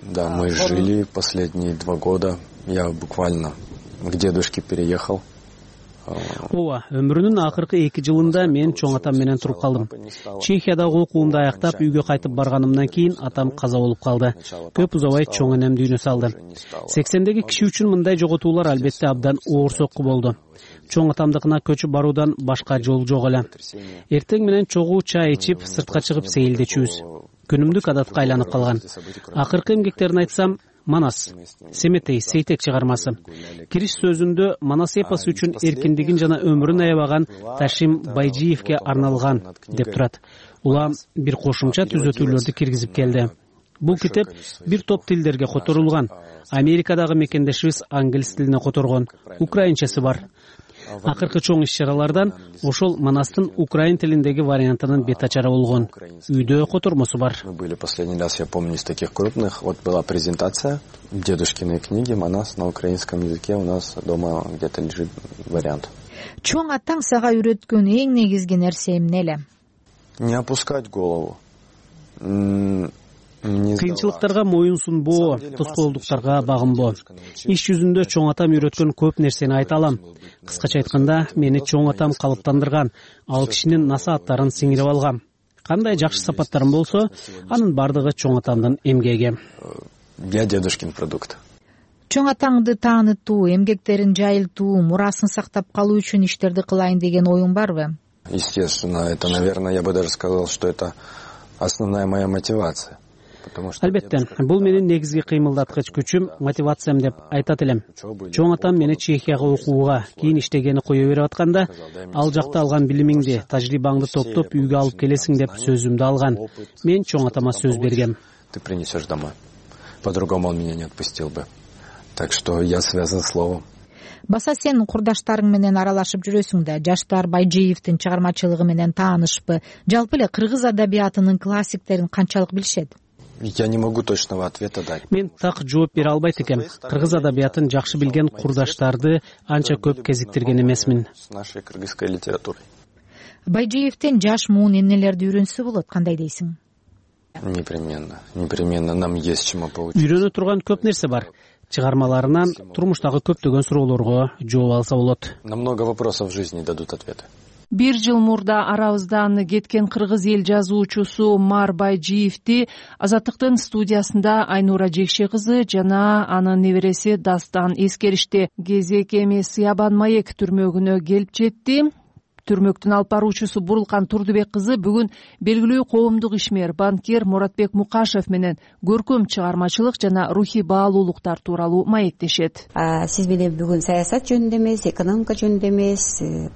Да, мы жили последние два года. Я буквально к дедушке переехал. Ооба, өмүрүнүн акыркы эки жылында мен чоң атам менен туруп калдым. Чехиядагы окуумду аяктап үйгө кайтып барганымдан кийин атам каза болуп калды. Көп узабай чоң энем дүйнө салды. сексендеги киши үчүн мындай жоготуулар албетте абдан оор сокку болду. Чоң атамдыкына көчүп баруудан башка жол жок эле. Эртең менен чогуу чай ичип, сыртка чыгып сейилдечүбүз. Күнүмдүк адатка айланып калган. Акыркы эмгектерин айтсам, Манас, Семетей, Сейтек чыгармасы. Кириш сөзүндө Манас эпосы үчүн эркиндигин жана өмүрүн аябаган Ташим Байжиевке арналган деп турат. Улам бир кошумча түзөтүүлөрдү киргизип келди. Бул китеп бир топ тилдерге которулган. Америкадагы мекендешибиз англис тилине которгон, украинчасы бар. Акыркы чоң иш-чаралардан ошол Манастын украин тилиндеги вариантынын бет ачары болгон. Үйдө котормосу бар. Мы были последний раз, я помню, из таких крупных. Вот была презентация дедушкиной книги «Манас» на украинском языке. У нас дома где-то лежит вариант. Чоң атаң сага үйрөткөн эң негизги нерсе эмне эле? Не опускать голову. Кыйынчылыктарга моюн сунбоо, тоскоолдуктарга багынбоо. Иш жүзүндө чоң атам үйрөткөн көп нерсени айта алам. Кыскача айтканда, мени чоң атам калыптандырган, ал кишинин насааттарын сиңирип алгам. Кандай жакшы сапаттарым болсо, анын бардыгы чоң атамдын эмгеги. Я дедушкин продукт. Чоң атаңды таанытуу, эмгектерин жайылтуу, мурасын сактап калуу үчүн иштерди кылайын деген оюң барбы? Естественно, это, наверное, я бы даже сказал, что это основная моя мотивация. Албетте, бул менин негизги кыймылдаткыч күчүм, мотивациям деп айтат элем. Чоң атам мени Чехияга окууга, кийин иштегени кое берип атканда, ал жакта алган билимиңди, тажрыйбаңды топтоп үйгө алып келесиң деп сөзүмдү алган. Мен чоң атама сөз бергем. Ты принесешь домой. По-другому он меня не отпустил бы. Так что я связан словом. Баса сен курдаштарың менен аралашып жүрөсүң да, жаштар Байжиевдин чыгармачылыгы менен таанышпы? Жалпы эле кыргыз адабиятынын классиктерин канчалык билишет? Я не могу точного ответа дать. Мен так жооп бере албайт экем. Кыргыз адабиятын жакшы билген курдаштарды анча көп кезиктирген эмесмин. С нашей кыргызской литературой. Байжиевден жаш муун эмнелерди үйрөнсө болот, кандай дейсиң? Непременно, непременно нам есть чему поучиться. Үйрөнө турган көп нерсе бар. Чыгармаларынан турмуштагы көптөгөн суроолорго жооп алса болот. На много вопросов в жизни дадут ответы. Бир жыл мурда арабыздан кеткен кыргыз эл жазуучусу Мар Байжиевди Азаттыктын студиясында Айнура Жекше кызы жана анын небереси Дастан эскеришти. Кезек эмес Сыябан Маек түрмөгүнө келип жетти. Түрмөктүн алып баруучусу Бурулкан Турдубек кызы бүгүн белгилүү коомдук ишмер банкир Муратбек Мукашев менен көркөм чыгармачылык жана рухий баалуулуктар тууралуу маектешет. Сиз менен бүгүн саясат жөнүндө эмес, экономика жөнүндө эмес,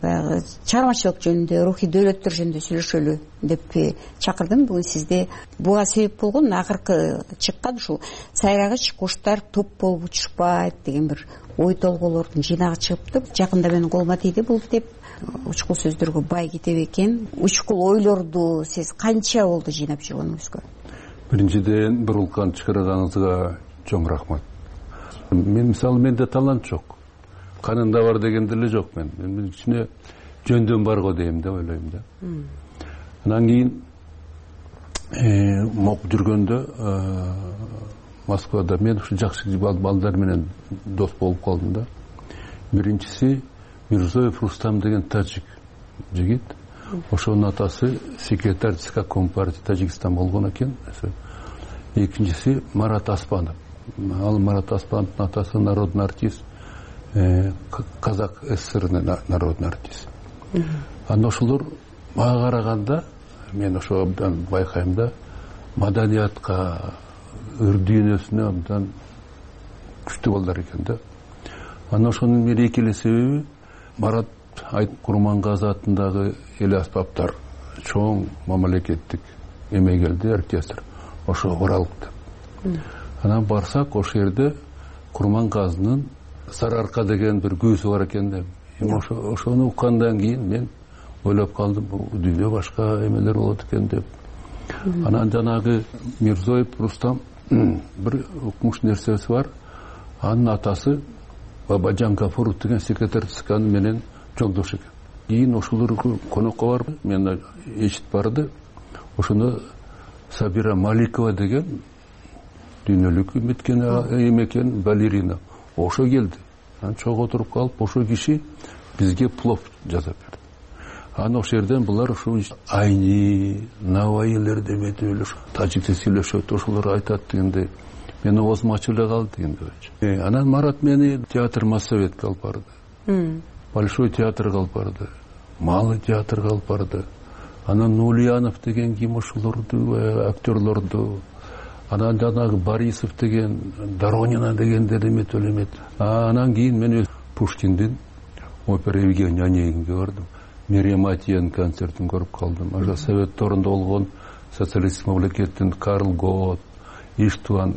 баягы чыгармачылык жөнүндө, рухий дөөлөттөр жөнүндө сүйлөшөлү деп чакырдым. Бүгүн сизди буга себеп болгон акыркы чыккан ушул сайрагыч куштар топ болуп учушпайт деген бир ой толгоолордун жыйнагы чыгыптыр. Жакында менин колума тийди бул китеп. Учкул сөздөргө бай китеп экен. Учкул ойлорду сиз канча болду жыйнап жүргөнүңүзгө? Биринчиден Бурулкан чыгарганыңызга чоң рахмат. Мен мисалы менде талант жок. Канында бар деген деле жок мен. Мен ичине жөндөн бар го дейм деп ойлойм да. Анан кийин окуп жүргөндө Москвада мен ушу жакшы балдар менен дос болуп калдым да. Биринчиси Мирзоев Рустам деген тажик жигит. Ошонун атасы секретарь ЦК Компартии Тажикстан болгон экен. Экинчиси Марат Аспанов. Ал Марат Аспановдун атасы народный артист, Казак СССРнын народный артист. Анда ошолор мага караганда мен ошо абдан байкайм да, маданиятка, ыр дүйнөсүнө абдан күчтүү балдар экен да. Анан ошонун мерекелүү себеби Марат Айтып Курмангазы атындагы эл аспаптар чоң мамлекеттик эмегелди оркестр ошого баралыпты. Анан барсак ошол жерде Курмангазынын Сарыарка деген бир күүсү бар экен да. Эми ошону уккандан кийин мен ойлоп калдым, бул дүйнө башка эмелер болот экен деп. Анан жанагы Мирзоев Рустам бир укмуш нерсеси бар. Анын атасы Бабаджан Гафуров деген секретарь ЦК менен жолдош экен. Кийин ошолор конокко барып, мен эчит барды. Ошондо Сабира Маликова деген дүйнөлүк эметкен эметкен балерина ошо келди. Анан чогуу отуруп калып, ошо киши бизге плов жасап берди. Анан ошол жерден булар ушу айни, наваилер деп эле тажикче сүйлөшөт, ошолор айтат дегенде мен оозум ачып эле калды дегенде. Анан Марат мени театр Моссоветке алып барды. Большой театрга алып барды. Малый театрга алып барды. Анан Нулиянов деген ким ошолорду, актерлорду. Анан жанагы Борисов деген, Доронина дегендер эмет элемет. Анан кийин мен Пушкиндин опера Евгений Онегинге бардым. Мерием Атиянын концертин көрүп калдым. Ошо Совет торунда болгон социалисттик мамлекеттин Карл Гот, Иштван,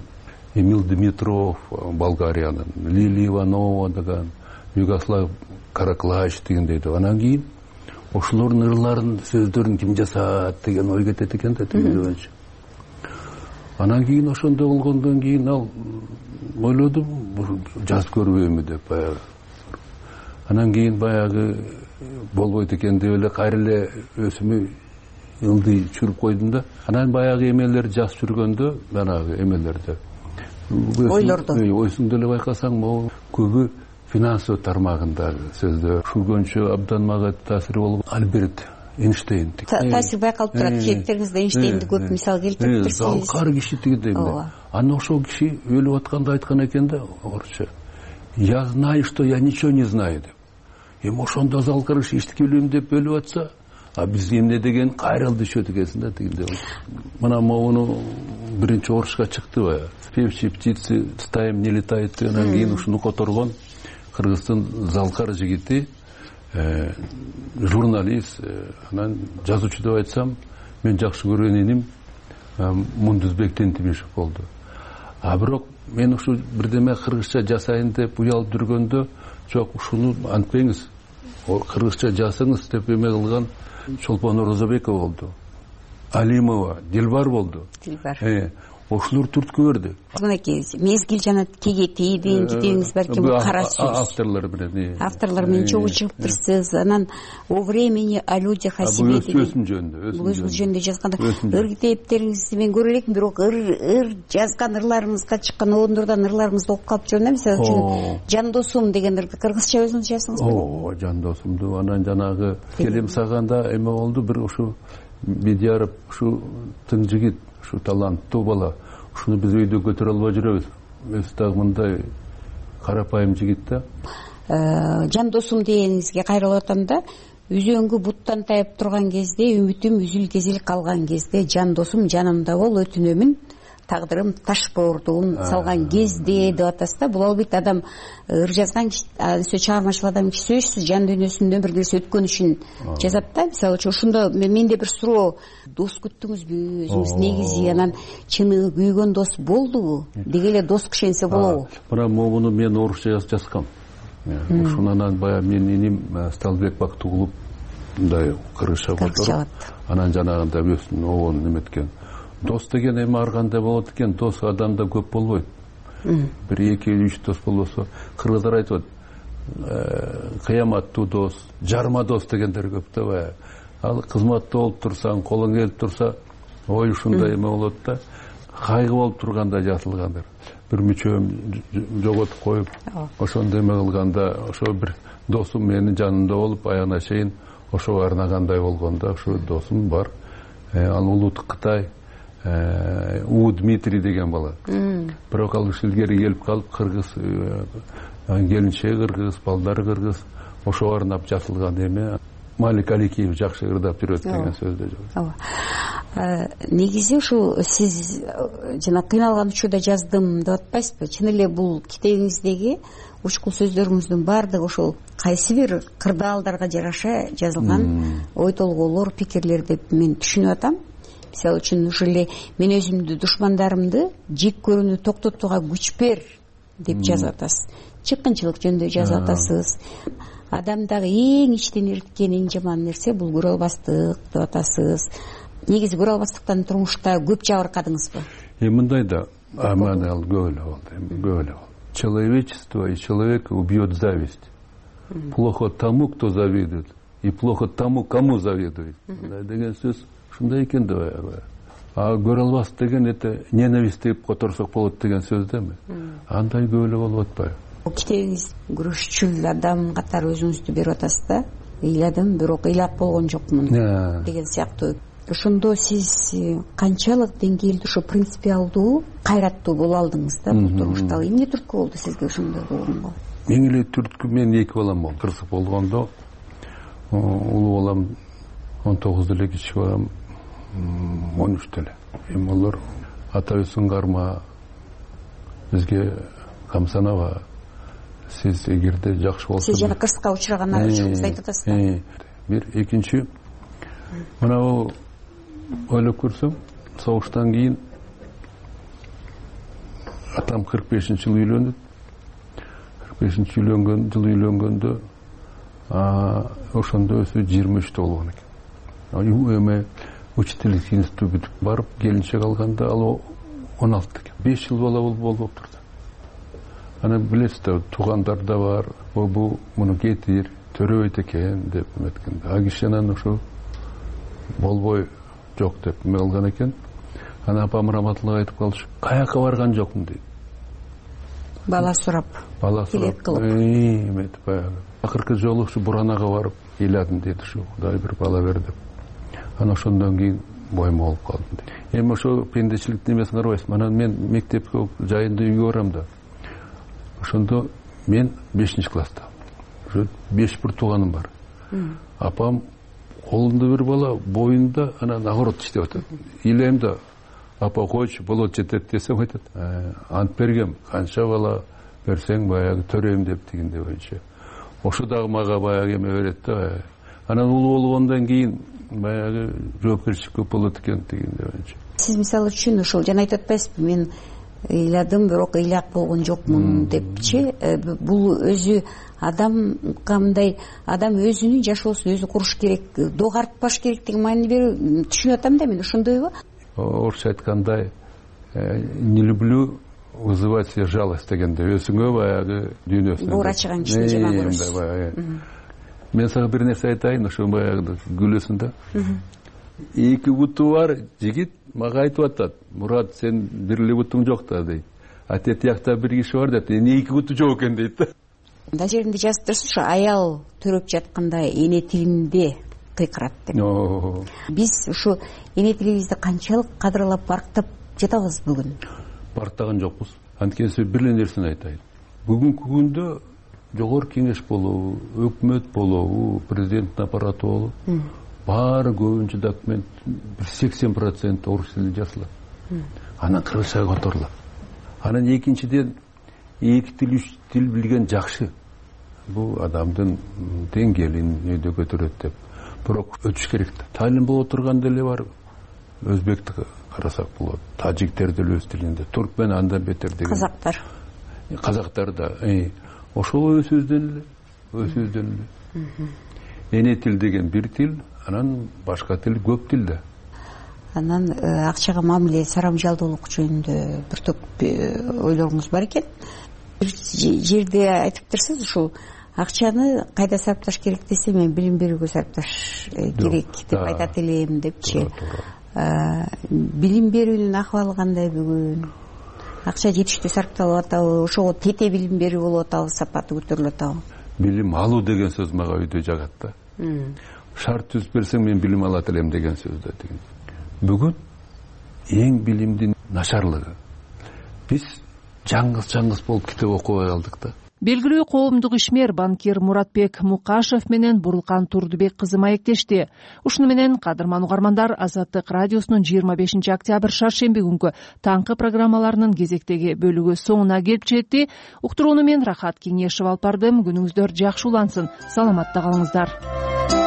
Эмил Дмитров Болгариянын, Лилия Иванова деген, Югослав Караклач дегендей. Анан кийин ошолордун ырларын, сөздөрүн ким жасат деген ой кетет экен да тегеренчи. Анан кийин ошондой болгондон кийин ал ойлодум, жазып көрбөймү деп баягы. Анан кийин баягы болбойт экен деп эле кайра эле өсүмү ылдый чүрүп койдум да. Анан баягы эмелер жазып жүргөндө, баягы эмелерде ойлорду ойсуңду эле байкасаң, могу көбү финансовый тармагындагы сөздөр. Шүргөнчү абдан мага таасири болгон Альберт Эйнштейн. Таасир байкалып турат, чектериңизде Эйнштейнди көп мисал келтирип турсуңуз. Залкар киши дегендей. Анан ошол киши өлүп атканда айткан экен да, орусча. Я знаю, что я ничего не знаю деп. Эми ошондо залкар киши эчтеке билем деп өлүп атса, а биз эмне деген кайрылды өтөт экенсиң да дегенде. Мына могуну биринчи орушка чыктыбы? Певчие птицы стаем не летают деген кийин ушуну которгон Кыргыздын залкар жигити, журналист, анан жазуучу деп айтсам, мен жакшы көргөн иним Мундузбек Тентибешев болду. А бирок мен ушу бирдеме кыргызча жасайын деп уялып жүргөндө, жок, ушуну антпеңиз, кыргызча жасаңыз деп эме кылган Чолпон Орозобекова болду. Алимова, Дилбар болду. Дилбар. Ошолор түрткө берди. Мынакей мезгил жана кегети деген китебиңиз балким кара сөз. Авторлор менен. Авторлор менен чогуу чыгыптырсыз. Анан о времени, о людях, о себе деген. Өзүм жөнүндө, өзүм жөнүндө жазганда ыр китептериңизди мен көрө элекмин, бирок ыр ыр жазган ырларыңызга чыккан оондурдан ырларыңызды окуп калып жүрөм. Мисалы үчүн Жан досум деген ырды кыргызча өзүңүз жаздыңызбы? О, Жан досумду анан жанагы келем саганда эме болду, бир ушу Бедияров ушу тың жигит, ушу таланттуу бала. Ушуну биз өйдө көтөрө албай жүрөбүз. Өзү дагы мындай карапайым жигит да. Жан досум дегениңизге кайрылып атамда, үзөңгү буттан тайып турган кезде, үмүтүм үзүл кезил калган кезде, жан досум жанымда бол, өтүнөмүн, тагдырым таш боордугун салган кезде деп атасыз да. Бул албетте адам ыр жазган киши, чыгармачыл адам сөзсүз жан дүйнөсүндөн бир нерсе өткөн үчүн жазат да. Мисалы үчүн ошондо менде бир суроо, дос күттүңүзбү өзүңүз негизи, анан чыны күйгөн дос болдубу? Деги эле дос кишенсе болобу? Бирок могуну мен орусча жазгам. Ошонан баягы менин иним Сталбек Бактыгулов мындай кыргызча которуп, анан жанагында өзүнүн обонун эметкен. Дос деген эми ар кандай болот экен, дос адамда көп болбойт. Бир эки үч дос болбосо, кыргыздар айтат, кыяматтуу дос, жарма дос дегендер көп да баягы. Ал кызматта болуп турсаң, колуң келип турса, ой ушундай эме болот да, кайгы болуп турганда жазылгандыр. бир мүчөм жоготуп коюп ошондой эме кылганда ошо бир досум менин жанымда болуп аягына чейин ошого арнагандай болгондо ошо досум бар. Ал Улут Кытай У Дмитрий деген бала. Бирок ал ушул илгери келип калып кыргыз келинчеги кыргыз, балдары кыргыз, ошого арнап жазылган эме Малик Аликеев жакшы ырдап жүрөт деген сөздө жок. Ооба. Негизи ушул сиз жана кыйналган учурда жаздым деп атпайсызбы? Чын эле бул китебиңиздеги учкул сөздөрүңүздүн баардыгы ошол кайсы бир кырдаалдарга жараша жазылган ой толгоолор, пикирлер деп мен түшүнүп атам. Мисалы үчүн ушул эле мен өзүмдү душмандарымды жек көрүүнү токтотууга күч бер деп жазып атасыз. Чыккынчылык жөнүндө жазып атасыз. Адамдагы эң ичтен эриткен эң жаман нерсе бул көрө албастык деп атасыз. Негизи көрө албастыктан турмушта көп жабыркадыңызбы? Эми мындай да, аман ал көп эле болду, эми көп эле болду. Человечество и человека убьет зависть. Плохо тому, кто завидует, и плохо тому, кому завидует. Деген сөз ушундай экен да. А көрө албастык деген это ненависть деп которсок болот деген сөз да эми. Андай көп эле болуп атпайбы? Китебиңиз күрөшчүл адам катары өзүңүздү берип атасыз да. Ыйладым, бирок ыйлап болгон жокмун деген сыяктуу. Ошондо сиз канчалык деңгээлде ошо принципиалдуу, кайраттуу боло алдыңыз да бул турмушта? Ал эмне түрткү болду сизге ошондой болгонго? Эң эле түрткү мен эки балам болду. Кырсык болгондо улуу балам он тогузда эле, кичи балам он үчтө эле. Эми алар атабызсын карма, бизге камсанаба, сиз эгерде жакшы болсо. Сиз жана кырсыкка учураган учуруңузду айтып атасыз да. Бир экинчи мына ойлоп көрсөм, согуштан кийин атам кырк бешинчи жылы үйлөнүп, кырк бешинчи үйлөнгөн жылы үйлөнгөндө ошондо өзү жыйырма үчтө болгон экен. Эме учительский институт бүтүп барып келинчек алганда ал он алтыда экен. беш жыл бала болуп турду. Аны билесиз да, туугандар да бар, бул муну кетир, төрөбөйт экен деп эметкен. А киши анан ошо болбой жок деп эме кылган экен. Ана апам раматылык айтып калыш, каяка барган жокмун дейт. Бала сурап, тилек кылып. Эметип баягы. Акыркы жолу ушу Буранага барып ыйладым дейт, ушу Кудай бир бала бер деп. Анан ошондон кийин боюм болуп калдым дейт. Эми ошо пендечиликтин эмесин карабайсызбы? Анан мен мектепке жайында үйгө барам да. Ошондо мен бешинчи класста. Ошо беш бир тууганым бар. Апам колунда бир бала, боюнда анан огород иштеп атат. Ыйлайм да, апа койчу, болот жетет десем айтат. Ант бергем, канча бала берсең баягы төрөйм деп дегенде боюнча. Ошо дагы мага баягы эме берет да. Анан улуу болгондон кийин баягы жоопкерчилик көп болот экен дегенде боюнча. Сиз мисалы үчүн ошол жана айтып атпайсызбы, мен ыйладым, бирок ыйлап болгон жокмун депчи. Бул өзү адам кандай, адам өзүнүн жашоосун өзү куруш керек, доо артпаш керек деген маани берүү түшүнүп атам да мен. Ошондойбу? Орусча айткандай, не люблю вызывать себе жалость дегенде, өзүңө баягы дүйнөсүнө буур ачыган кишини жаман көрөсүз. Мен сага бир нерсе айтайын, ошо баягы күлөсүң да. Эки буту бар жигит мага айтып атат, Мурат, сен бир эле бутуң жок да дейт. А тет жакта бир киши бар дейт, эмне эки буту жок экен дейт да. Мында жеринде жазып турсуз, ошо аял төрөп жатканда эне тилинде кыйкырат деп. Биз ушу эне тилибизди канчалык кадырлап барктап жатабыз бүгүн? Барктаган жокпуз. Анткени бир эле нерсени айтайын. Бүгүнкү күндө жогорку кеңеш болобу, өкмөт болобу, президенттин аппараты болобу, баары көбүнчө документ бир сексен процент орус тилинде жазылат. Анан кыргызчага которулат. Анан экинчиден эки тил, үч тил билген жакшы. Бул адамдын деңгээлин өйдө көтөрөт деп. Бирок өтүш керек да. Таалим боло турган деле бар. Өзбекти карасак болот. Тажиктер деле өз тилинде. Туркмен андан бетер деген. Казактар. Казактар да. Ошол өз сөздөн эле, өз сөздөн эле. Эне тил деген бир тил, анан башка тил көп тил да. Анан акчага мамиле, сарамжалдуулук жөнүндө бир топ ойлоруңуз бар экен. Бир жерде айтып турсуз, ушул акчаны кайда сарпташ керек десе, мен билим берүүгө сарпташ керек деп айтат элем депчи. Билим берүүнүн акыбалы кандай бүгүн? акча жетиштүү сарпталып атабы, ошого тете билим берүү болуп атабы, сапаты көтөрүлүп атабы? Билим алуу деген сөз мага үйдө жагат да. Шарт түзүп берсең мен билим алат элем деген сөз да. Бүгүн эң билимдин начарлыгы биз жаңгыз жаңгыз болуп китеп окубай калдык да. Белгилүү коомдук ишмер банкир Муратбек Мукашев менен Бурулкан Турдубек кызы маектешти. Ушуну менен кадырман угармандар, Азаттык радиосунун жыйырма бешинчи октябрь шаршемби күнгү таңкы программаларынын кезектеги бөлүгү соңуна келип жетти. Уктурууну мен Рахат Кеңешев алып бардым. Күнүңүздөр жакшы улансын. Саламатта калыңыздар.